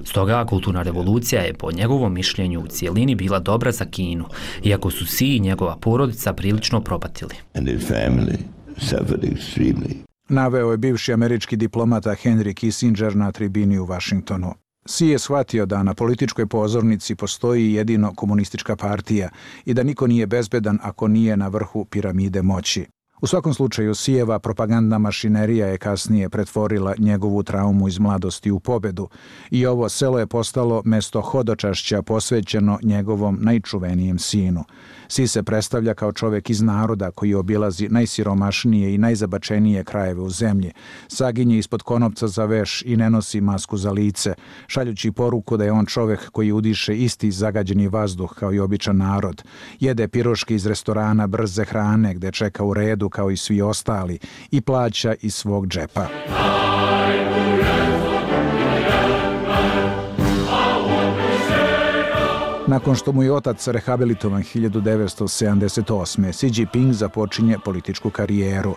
Stoga kulturna revolucija je po njegovom mišljenju u cijelini bila dobra za Kinu, iako su Si i njegova porodica prilično propatili. And his family suffered extremely. Naveo je bivši američki diplomata Henry Kissinger na tribini u Vašingtonu. Si je shvatio da na političkoj pozornici postoji jedino komunistička partija i da niko nije bezbedan ako nije na vrhu piramide moći. U svakom slučaju, Sijeva propagandna mašinerija je kasnije pretvorila njegovu traumu iz mladosti u pobedu i ovo selo je postalo mesto hodočašća posvećeno njegovom najčuvenijem sinu. Si se predstavlja kao čovjek iz naroda koji obilazi najsiromašnije i najzabačenije krajeve u zemlji, saginje ispod konopca za veš i ne nosi masku za lice, šaljući poruku da je on čovjek koji udiše isti zagađeni vazduh kao i običan narod, jede piroške iz restorana brze hrane gde čeka u redu kao i svi ostali i plaća iz svog džepa. Nakon što mu je otac rehabilitovan 1978. Xi Jinping započinje političku karijeru.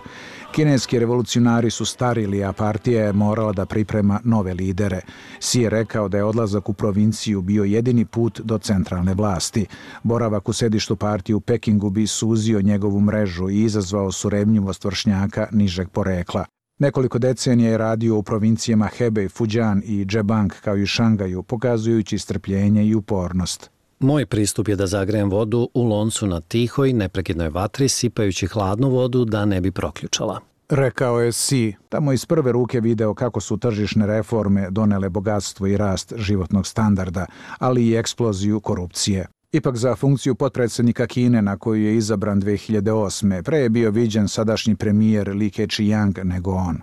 Kineski revolucionari su starili, a partija je morala da priprema nove lidere. Xi je rekao da je odlazak u provinciju bio jedini put do centralne vlasti. Boravak u sedištu partije u Pekingu bi suzio njegovu mrežu i izazvao surevnjivost vršnjaka nižeg porekla. Nekoliko decenija je radio u provincijama Hebei, Fujian i Zhejiang kao i Šangaju, pokazujući strpljenje i upornost. Moj pristup je da zagrejem vodu u loncu na tihoj, neprekidnoj vatri, sipajući hladnu vodu da ne bi proključala. Rekao je Xi, tamo iz prve ruke video kako su tržišne reforme donele bogatstvo i rast životnog standarda, ali i eksploziju korupcije. Ipak za funkciju potpredsjednika Kine na koju je izabran 2008. pre je bio viđen sadašnji premijer Li Keqiang nego on.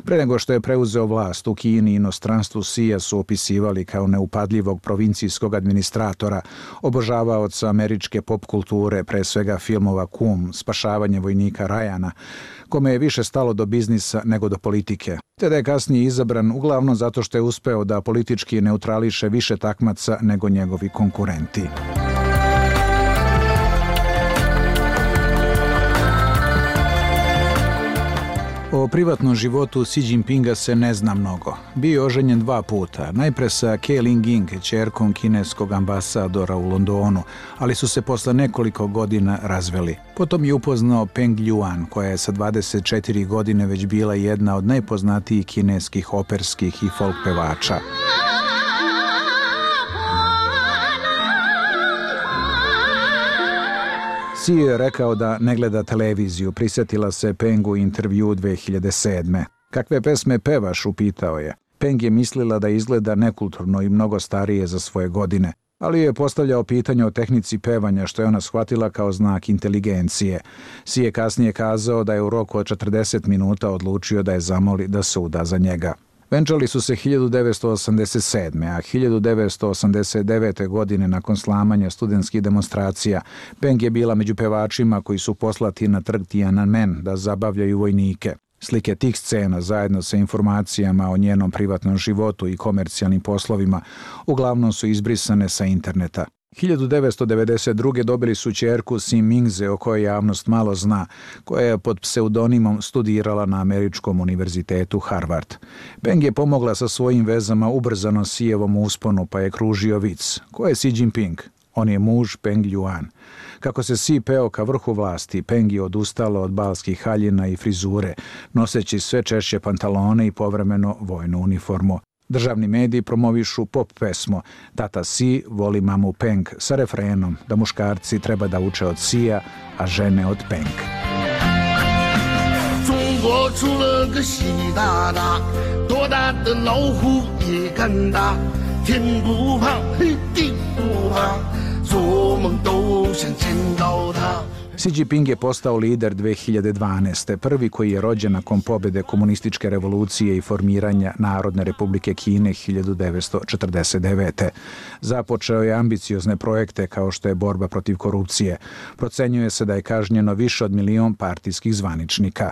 Pre nego što je preuzeo vlast u Kini i inostranstvu, Xija su opisivali kao neupadljivog provincijskog administratora, obožavaoca američke pop kulture, pre svega filmova Kum, Spašavanje vojnika Ryana, kome je više stalo do biznisa nego do politike. Te da je kasnije izabran uglavnom zato što je uspeo da politički neutrališe više takmaca nego njegovi konkurenti. O privatnom životu Xi Jinpinga se ne zna mnogo. Bio je oženjen 2 puta, najpre sa Ke Ling-ying, ćerkom kineskog ambasadora u Londonu, ali su se posle nekoliko godina razveli. Potom je upoznao Peng Ljuan, koja je sa 24 godine već bila jedna od najpoznatijih kineskih operskih i folk pevača. Xi je rekao da ne gleda televiziju, prisjetila se Pengu intervju 2007. Kakve pesme pevaš, upitao je. Peng je mislila da izgleda nekulturno i mnogo starije za svoje godine, ali je postavljao pitanje o tehnici pevanja što je ona shvatila kao znak inteligencije. Xi je kasnije kazao da je u roku od 40 minuta odlučio da je zamoli da se uda za njega. Venčali su se 1987. a 1989. godine nakon slamanja studentskih demonstracija Peng je bila među pevačima koji su poslati na trg Tiananmen da zabavljaju vojnike. Slike tih scena zajedno sa informacijama o njenom privatnom životu i komercijalnim poslovima uglavnom su izbrisane sa interneta. 1992. dobili su ćerku Sim Mingze, o kojoj javnost malo zna, koja je pod pseudonimom studirala na Američkom univerzitetu Harvard. Peng je pomogla sa svojim vezama ubrzano Xijevom usponu, pa je kružio vic. Ko je Xi Jinping? On je muž Peng Ljuan. Kako se Xi peo ka vrhu vlasti, Peng je odustala od balskih haljina i frizure, noseći sve češće pantalone i povremeno vojnu uniformu. Državni mediji promovišu pop pesmu Tata Xi voli mamu Peng sa refrenom da muškarci treba da uče od Xija, a žene od Peng. Xi Jinping je postao lider 2012. prvi koji je rođen nakon pobjede komunističke revolucije i formiranja Narodne republike Kine 1949. Započeo je ambiciozne projekte kao što je borba protiv korupcije. Procenjuje se da je kažnjeno više od 1 milion partijskih zvaničnika.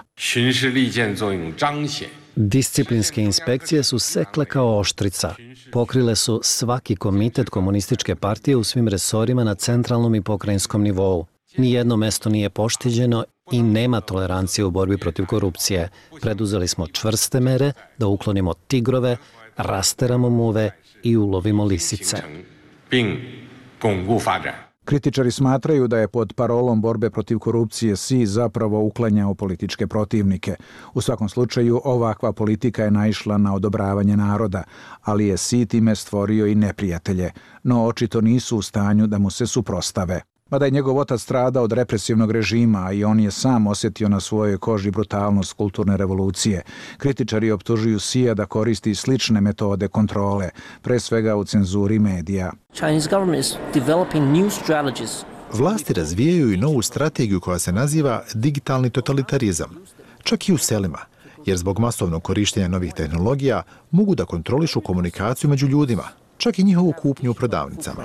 Disciplinske inspekcije su sekle kao oštrica. Pokrile su svaki komitet komunističke partije u svim resorima na centralnom i pokrajinskom nivou. Nijedno mesto nije pošteđeno i nema tolerancije u borbi protiv korupcije. Preduzeli smo čvrste mere da uklonimo tigrove, rasteramo muve i ulovimo lisice. Kritičari smatraju da je pod parolom borbe protiv korupcije Xi zapravo uklanjao političke protivnike. U svakom slučaju, ovakva politika je naišla na odobravanje naroda, ali je Xi time stvorio i neprijatelje, no očito nisu u stanju da mu se suprostave. Mada je njegov otac stradao od represivnog režima i on je sam osjetio na svojoj koži brutalnost kulturne revolucije, kritičari optužuju Xija da koristi slične metode kontrole, pre svega u cenzuri medija. Vlasti razvijaju i novu strategiju koja se naziva digitalni totalitarizam, čak i u selima, jer zbog masovnog korištenja novih tehnologija mogu da kontrolišu komunikaciju među ljudima, čak i njihovu kupnju u prodavnicama.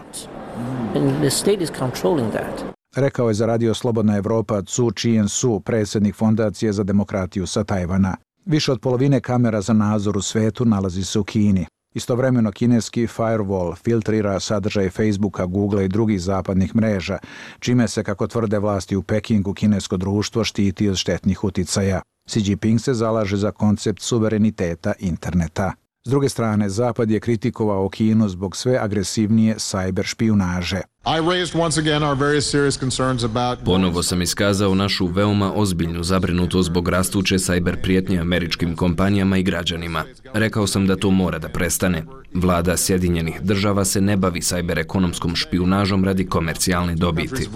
Rekao je za Radio Slobodna Evropa Cu Chien-su, predsjednik Fondacije za demokratiju sa Tajvana. Više od polovine kamera za nadzor u svetu nalazi se u Kini. Istovremeno kineski firewall filtrira sadržaj Facebooka, Google i drugih zapadnih mreža, čime se, kako tvrde vlasti u Pekingu, kinesko društvo štiti od štetnih uticaja. Xi Jinping se zalaže za koncept suvereniteta interneta. S druge strane, Zapad je kritikovao Kinu zbog sve agresivnije sajber špijunaže. Ponovo sam iskazao našu veoma ozbiljnu zabrinutost zbog rastuće sajber prijetnje američkim kompanijama i građanima. Rekao sam da to mora da prestane. Vlada Sjedinjenih država se ne bavi sajber ekonomskom špijunažom radi komercijalne dobiti.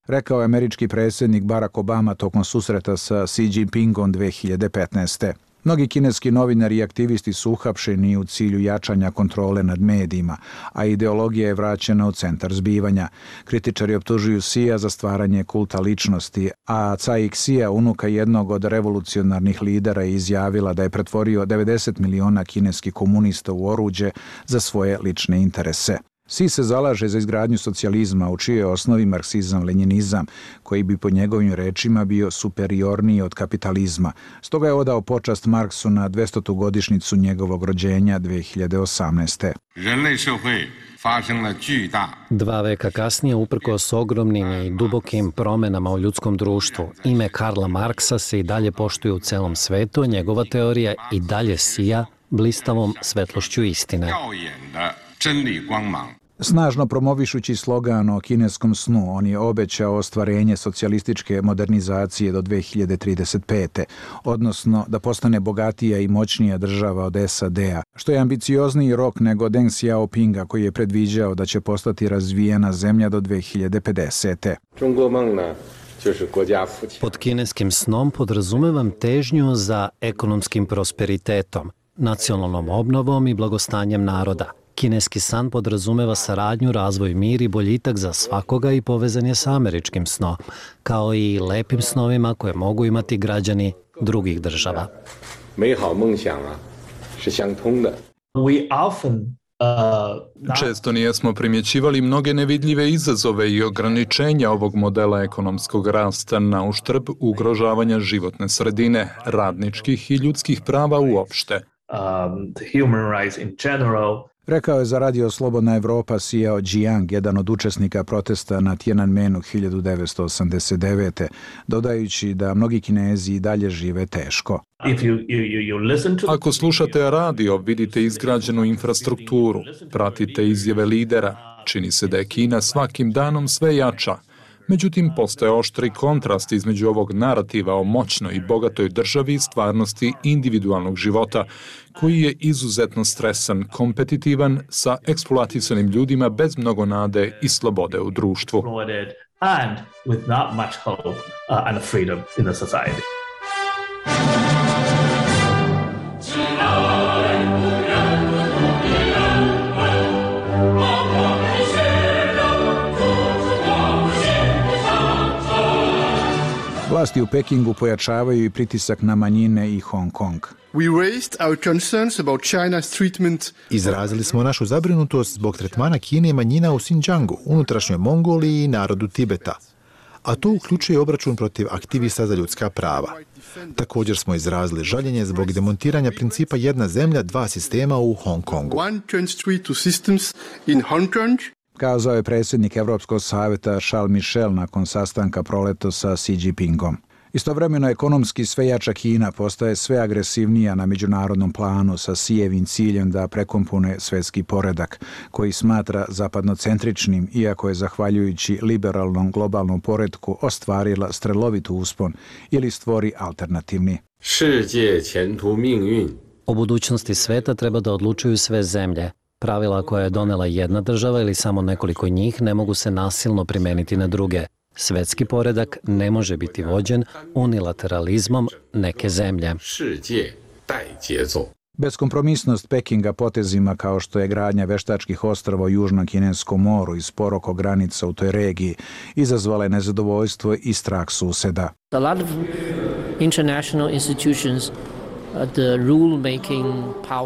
Rekao je američki predsjednik Barack Obama tokom susreta sa Xi Jinpingom 2015. Mnogi kineski novinari i aktivisti su uhapšeni u cilju jačanja kontrole nad medijima, a ideologija je vraćena u centar zbivanja. Kritičari optužuju Xija za stvaranje kulta ličnosti, a Cai Xia, unuka jednog od revolucionarnih lidera, je izjavila da je pretvorio 90 miliona kineskih komunista u oruđe za svoje lične interese. Xi se zalaže za izgradnju socijalizma u čijoj osnovi marksizam-lenjinizam, koji bi po njegovim rečima bio superiorniji od kapitalizma. Stoga je odao počast Marksu na 200. godišnjicu njegovog rođenja 2018. 2 veka kasnije, uprkos ogromnim i dubokim promenama u ljudskom društvu, ime Karla Marksa se i dalje poštuje u celom svetu, njegova teorija i dalje sija blistavom svetlošću istine. Snažno promovišući slogan o kineskom snu, on je obećao ostvarenje socijalističke modernizacije do 2035. odnosno da postane bogatija i moćnija država od SAD-a, što je ambiciozniji rok nego Deng Xiaopinga koji je predviđao da će postati razvijena zemlja do 2050. Pod kineskim snom podrazumevam težnju za ekonomskim prosperitetom, nacionalnom obnovom i blagostanjem naroda. Kineski san podrazumeva saradnju, razvoj, mir i boljitak za svakoga i povezan je sa američkim snom, kao i lepim snovima koje mogu imati građani drugih država. 美好梦想啊是相通的。We often Često nijesmo primjećivali mnoge nevidljive izazove i ograničenja ovog modela ekonomskog rasta na uštrb ugrožavanja životne sredine, radničkih i ljudskih prava uopšte. Human rights in general. Rekao je za Radio Slobodna Evropa Xiao Jiang, jedan od učesnika protesta na Tiananmenu 1989. dodajući da mnogi Kinezi i dalje žive teško. Ako slušate radio, vidite izgrađenu infrastrukturu, pratite izjave lidera. Čini se da je Kina svakim danom sve jača. Međutim, postoje oštri kontrast između ovog narativa o moćnoj i bogatoj državi i stvarnosti individualnog života, koji je izuzetno stresan, kompetitivan, sa eksploatisanim ljudima bez mnogo nade i slobode u društvu. And with not much hope and freedom in the society. Vlasti u Pekingu pojačavaju i pritisak na manjine i Hong Kong. Izrazili smo našu zabrinutost zbog tretmana Kine i manjina u Xinjiangu, unutrašnjoj Mongoliji i narodu Tibeta. A to uključuje obračun protiv aktivista za ljudska prava. Također smo izrazili žaljenje zbog demontiranja principa jedna zemlja, dva sistema u Hong Kongu. Kazao je predsjednik Evropskog savjeta Charles Michel nakon sastanka proleto sa Xi Jinpingom. Istovremeno ekonomski sve jača Kina postaje sve agresivnija na međunarodnom planu sa Xijevim ciljem da prekompone svjetski poredak, koji smatra zapadnocentričnim, iako je zahvaljujući liberalnom globalnom poretku ostvarila strelovit uspon ili stvori alternativni. O budućnosti sveta treba da odlučuju sve zemlje. Pravila koja je donela jedna država ili samo nekoliko njih ne mogu se nasilno primeniti na druge. Svetski poredak ne može biti vođen unilateralizmom neke zemlje. Beskompromisnost Pekinga potezima kao što je gradnja veštačkih ostrava u Južnom Kineskom moru i spor oko granica u toj regiji izazvala je nezadovoljstvo i strah suseda. A lot of international institutions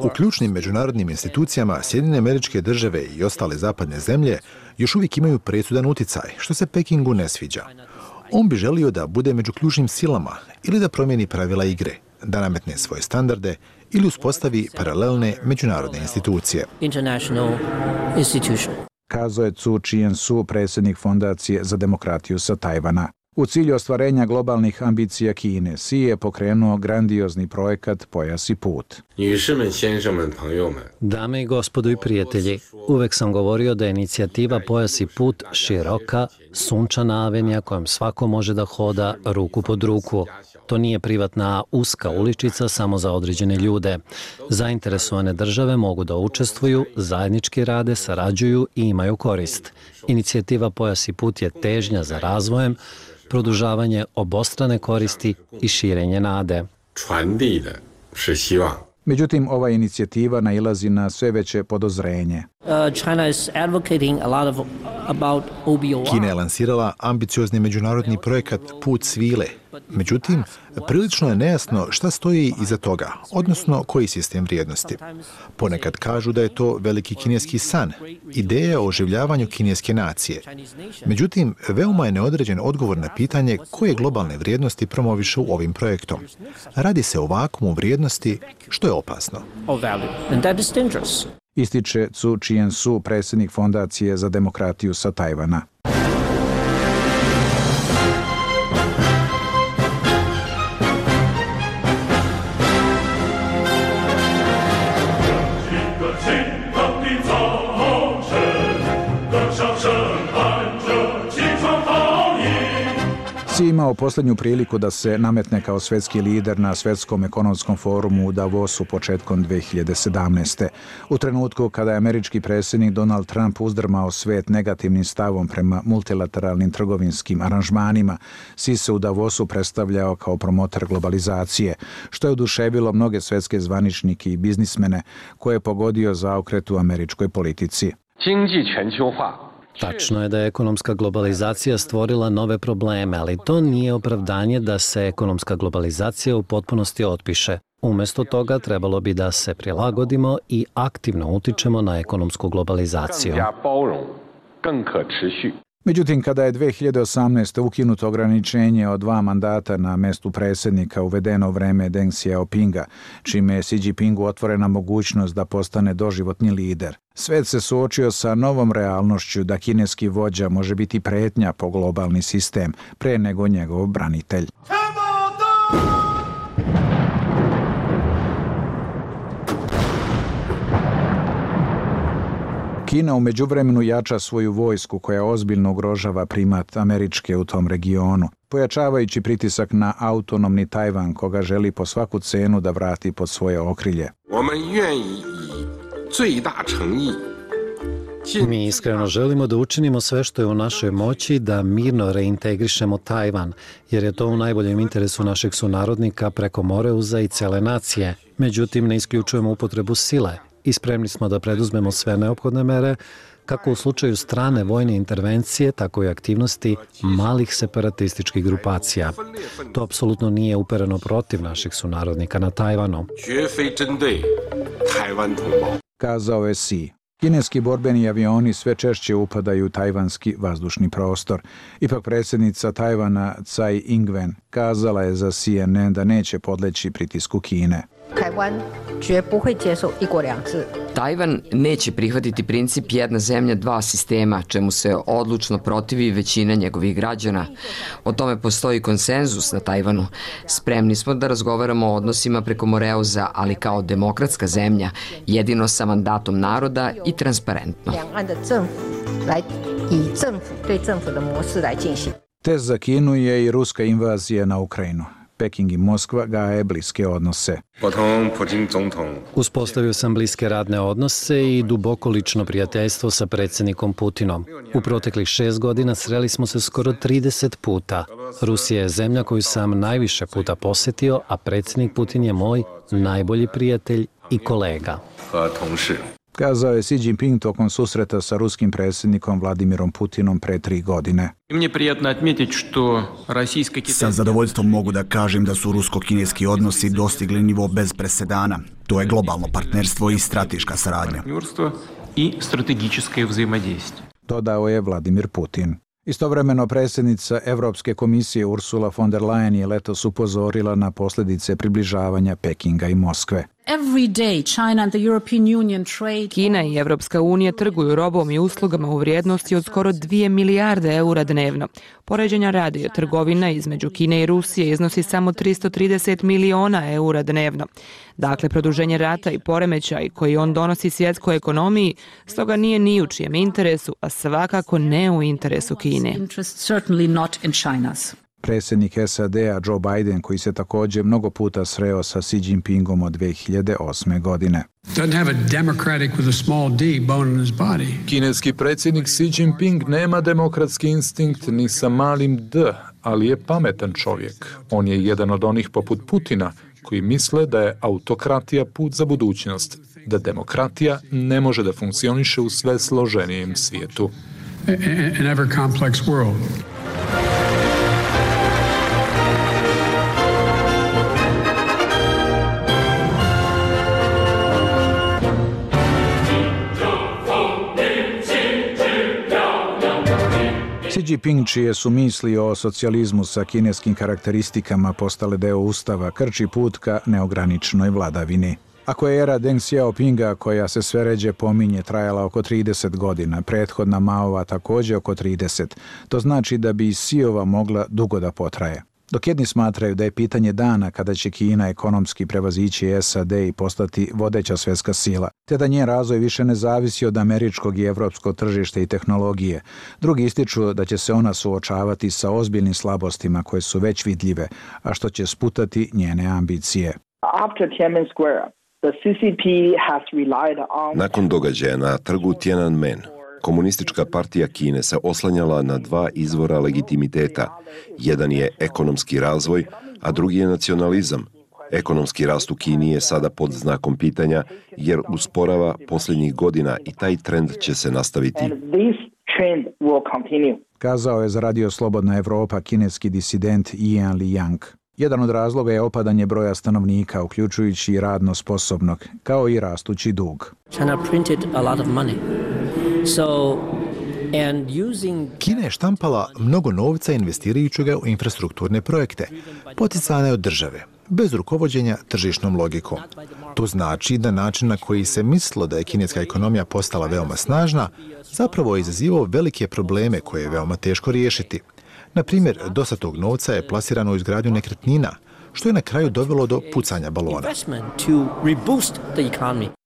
U ključnim međunarodnim institucijama Sjedinjene Američke Države i ostale zapadne zemlje još uvijek imaju presudan uticaj, što se Pekingu ne sviđa. On bi želio da bude među ključnim silama ili da promijeni pravila igre, da nametne svoje standarde ili uspostavi paralelne međunarodne institucije. Kazao je Cu Chien-su, predsjednik Fondacije za demokratiju sa Tajvana. U cilju ostvarenja globalnih ambicija Kine, Xi je pokrenuo grandiozni projekat Pojas i put. Dame i gospodo i prijatelji, uvek sam govorio da je inicijativa Pojas i put široka, sunčana avenija kojom svako može da hoda ruku pod ruku. To nije privatna uska uličica samo za određene ljude. Zainteresovane države mogu da učestvuju, zajednički rade, sarađuju i imaju korist. Inicijativa Pojas i put je težnja za razvojem, produžavanje obostrane koristi i širenje nade. Međutim, ova inicijativa nailazi na sve veće podozrenje. Kina je lansirala ambiciozni međunarodni projekat Put svile. Međutim, prilično je nejasno šta stoji iza toga, odnosno koji sistem vrijednosti. Ponekad kažu da je to veliki kineski san, ideja o oživljavanju kineske nacije. Međutim, veoma je neodređen odgovor na pitanje koje globalne vrijednosti promoviše u ovim projektom. Radi se o vakuumu vrijednosti, što je opasno. Ističe Cu Chien-su, predsjednik Fondacije za demokratiju sa Tajvana. Xi imao posljednju priliku da se nametne kao svjetski lider na svjetskom ekonomskom forumu u Davosu početkom 2017. U trenutku kada je američki predsjednik Donald Trump uzdrmao svijet negativnim stavom prema multilateralnim trgovinskim aranžmanima, Xi se u Davosu predstavljao kao promotor globalizacije, što je oduševilo mnoge svjetske zvaničnike i biznismene koje je pogodio zaokret u američkoj politici. Tačno je da je ekonomska globalizacija stvorila nove probleme, ali to nije opravdanje da se ekonomska globalizacija u potpunosti otpiše. Umjesto toga trebalo bi da se prilagodimo i aktivno utičemo na ekonomsku globalizaciju. Međutim, kada je 2018. ukinuto ograničenje od 2 mandata na mestu predsjednika uvedeno u vreme Deng Xiaopinga, čime je Xi Jinpingu otvorena mogućnost da postane doživotni lider, svet se suočio sa novom realnošću da kineski vođa može biti pretnja po globalni sistem pre nego njegov branitelj. Kina u međuvremenu jača svoju vojsku koja ozbiljno ugrožava primat Američke u tom regionu, pojačavajući pritisak na autonomni Tajvan koga želi po svaku cenu da vrati pod svoje okrilje. Mi iskreno želimo da učinimo sve što je u našoj moći da mirno reintegrišemo Tajvan, jer je to u najboljem interesu naših sunarodnika preko Moreuza i cele nacije. Međutim, ne isključujemo upotrebu sile i spremni smo da preduzmemo sve neophodne mere, kako u slučaju strane vojne intervencije, tako i aktivnosti malih separatističkih grupacija. To apsolutno nije upereno protiv naših sunarodnika na Tajvanu. Kazao je Xi. Kineski borbeni avioni sve češće upadaju u tajvanski vazdušni prostor. Ipak predsjednica Tajvana Tsai Ing-wen kazala je za CNN da neće podleći pritisku Kine. Tajvan neće prihvatiti princip jedna zemlja, dva sistema, čemu se odlučno protivi većina njegovih građana. O tome postoji konsenzus na Tajvanu. Spremni smo da razgovaramo o odnosima preko Moreuza, ali kao demokratska zemlja, jedino sa mandatom naroda i transparentno. Test za Kinu je i ruska invazija na Ukrajinu. Peking i Moskva gaje bliske odnose. Uspostavio sam bliske radne odnose i duboko lično prijateljstvo sa predsjednikom Putinom. U proteklih 6 godina sreli smo se skoro 30 puta. Rusija je zemlja koju sam najviše puta posjetio, a predsjednik Putin je moj najbolji prijatelj i kolega. Kazao je Xi Jinping tokom susreta sa ruskim predsjednikom Vladimirom Putinom pre 3 godine. Sa zadovoljstvom mogu da kažem da su rusko-kineski odnosi dostigli nivo bez presedana. To je globalno partnerstvo i strateška saradnja. Dodao je Vladimir Putin. Istovremeno predsjednica Evropske komisije Ursula von der Leyen je letos upozorila na posljedice približavanja Pekinga i Moskve. Kina i Evropska unija trguju robom i uslugama u vrijednosti od skoro 2 milijarde eura dnevno. Poređenja radi, trgovina između Kine i Rusije iznosi samo 330 miliona eura dnevno. Dakle, produženje rata i poremećaj koji on donosi svjetskoj ekonomiji, stoga nije ni u čijem interesu, a svakako ne u interesu Kine. Predsjednik SAD-a Joe Biden, koji se također mnogo puta sreo sa Xi Jinpingom od 2008. godine. Kineski predsjednik Xi Jinping nema demokratski instinkt ni sa malim d, ali je pametan čovjek. On je jedan od onih poput Putina koji misle da je autokratija put za budućnost, da demokratija ne može da funkcioniše u sve složenijem svijetu. Xi Jinping, čije su misli o socijalizmu sa kineskim karakteristikama postale deo ustava, krči put ka neograničenoj vladavini. Ako je era Deng Xiaopinga, koja se sve ređe pominje, trajala oko 30 godina, prethodna Maova također oko 30, to znači da bi i Xiova mogla dugo da potraje. Dok jedni smatraju da je pitanje dana kada će Kina ekonomski prevazići SAD i postati vodeća svjetska sila, te da njen razvoj više ne zavisi od američkog i evropskog tržišta i tehnologije, drugi ističu da će se ona suočavati sa ozbiljnim slabostima koje su već vidljive, a što će sputati njene ambicije. Nakon događaja na trgu Tiananmen, Komunistička partija Kine se oslanjala na 2 izvora legitimiteta. Jedan je ekonomski razvoj, a drugi je nacionalizam. Ekonomski rast u Kini je sada pod znakom pitanja jer usporava posljednjih godina i taj trend će se nastaviti. Kazao je za Radio Slobodna Evropa kineski disident Ian Liang. Jedan od razloga je opadanje broja stanovnika, uključujući i radno sposobnog, kao i rastući dug. Kina je štampala mnogo novca investirajući ga u infrastrukturne projekte, poticane od države, bez rukovođenja tržišnom logikom. To znači da način na koji se mislilo da je kineska ekonomija postala veoma snažna, zapravo je izazivao velike probleme koje je veoma teško riješiti. Na primjer, dosta tog novca je plasirano u izgradnju nekretnina, što je na kraju dovelo do pucanja balona.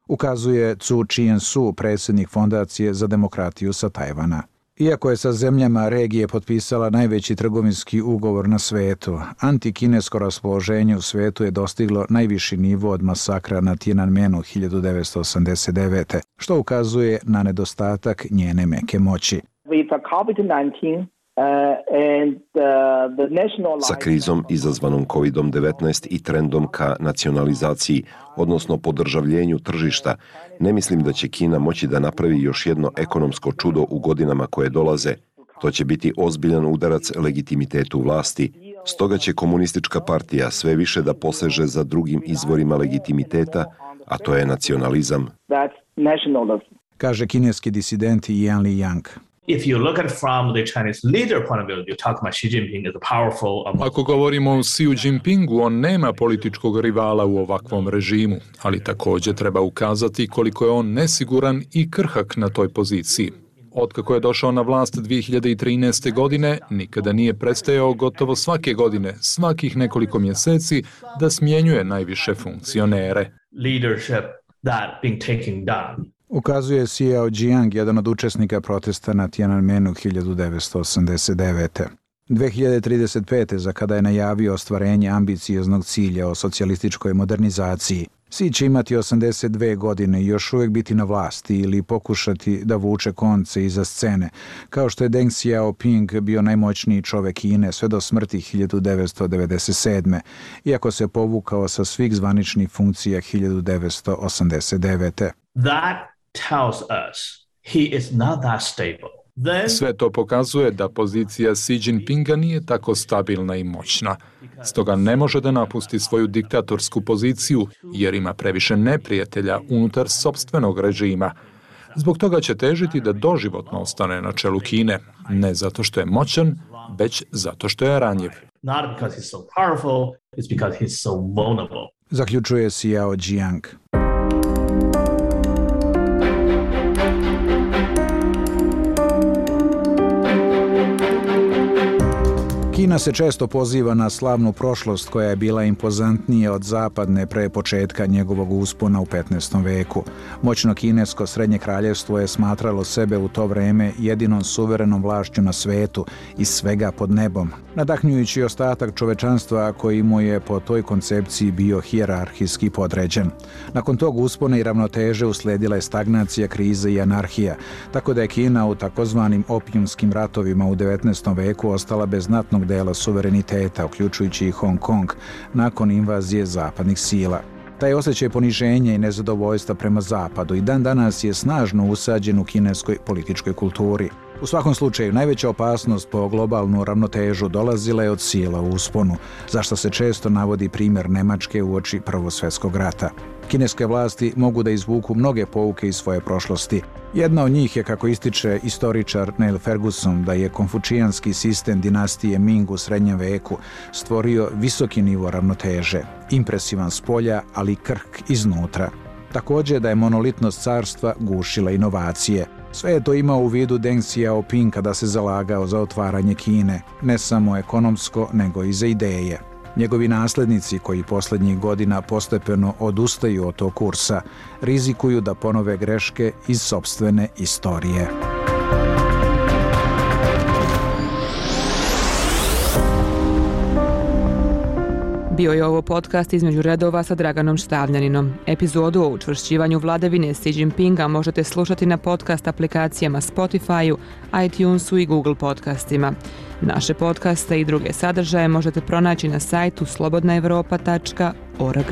Ukazuje Zhu Qiansu, predsjednik Fondacije za demokratiju sa Tajvana. Iako je sa zemljama regije potpisala najveći trgovinski ugovor na svetu, antikinesko raspoloženje u svetu je dostiglo najviši nivo od masakra na Tiananmenu 1989. što ukazuje na nedostatak njene meke moći. Sa krizom izazvanom COVID-19 i trendom ka nacionalizaciji, odnosno podržavljenju tržišta, ne mislim da će Kina moći da napravi još jedno ekonomsko čudo u godinama koje dolaze. To će biti ozbiljan udarac legitimitetu vlasti. Stoga će komunistička partija sve više da poseže za drugim izvorima legitimiteta, a to je nacionalizam. Kaže kineski disident Yan Liang. Ako govorimo o Xi Jinpingu, on nema političkog rivala u ovakvom režimu, ali također treba ukazati koliko je on nesiguran i krhak na toj poziciji. Otkako je došao na vlast 2013. godine, nikada nije prestajao gotovo svake godine, svakih nekoliko mjeseci, da smjenjuje najviše funkcionere. Ukazuje Xiao Jiang, jedan od učesnika protesta na Tiananmenu 1989. 2035. za kada je najavio ostvarenje ambicioznog cilja o socijalističkoj modernizaciji, Xi će imati 82 godine i još uvijek biti na vlasti ili pokušati da vuče konce iza scene, kao što je Deng Xiaoping bio najmoćniji čovjek Kine sve do smrti 1997. iako se povukao sa svih zvaničnih funkcija 1989. Sve to pokazuje da pozicija Xi Jinpinga nije tako stabilna i moćna. Stoga ne može da napusti svoju diktatorsku poziciju jer ima previše neprijatelja unutar sopstvenog režima. Zbog toga će težiti da doživotno ostane na čelu Kine, ne zato što je moćan, već zato što je ranjiv. Zaključuje Xiao Jiang. Kina se često poziva na slavnu prošlost koja je bila impozantnija od zapadne pre početka njegovog uspona u 15. veku. Moćno kinesko srednje kraljevstvo je smatralo sebe u to vreme jedinom suverenom vlašću na svetu i svega pod nebom, nadahnjujući ostatak čovečanstva koji mu je po toj koncepciji bio hijerarhijski podređen. Nakon tog uspona i ravnoteže usledila je stagnacija, kriza i anarhija, tako da je Kina u takozvanim opijumskim ratovima u 19. veku ostala bez znatnog dela suvereniteta, uključujući i Hong Kong, nakon invazije zapadnih sila. Taj osjećaj poniženja i nezadovoljstva prema zapadu i dan danas je snažno usađen u kineskoj političkoj kulturi. U svakom slučaju, najveća opasnost po globalnu ravnotežu dolazila je od sila u usponu, zašto se često navodi primjer Nemačke uoči Prvog svjetskog rata. Kineske vlasti mogu da izvuku mnoge pouke iz svoje prošlosti. Jedna od njih je, kako ističe istoričar Neil Ferguson, da je konfučijanski sistem dinastije Ming u srednjem veku stvorio visoki nivo ravnoteže, impresivan s polja, ali krhk iznutra. Također da je monolitnost carstva gušila inovacije. Sve je to imao u vidu Deng Xiaoping kada se zalagao za otvaranje Kine, ne samo ekonomsko, nego i za ideje. Njegovi naslednici, koji posljednjih godina postepeno odustaju od tog kursa, rizikuju da ponove greške iz sopstvene istorije. Bio je ovo podcast Između redova sa Draganom Štavljaninom. Epizodu o učvršćivanju vladavine Xi Jinpinga možete slušati na podcast aplikacijama Spotify-u, iTunesu i Google podcastima. Naše podcaste i druge sadržaje možete pronaći na sajtu slobodnaevropa.org.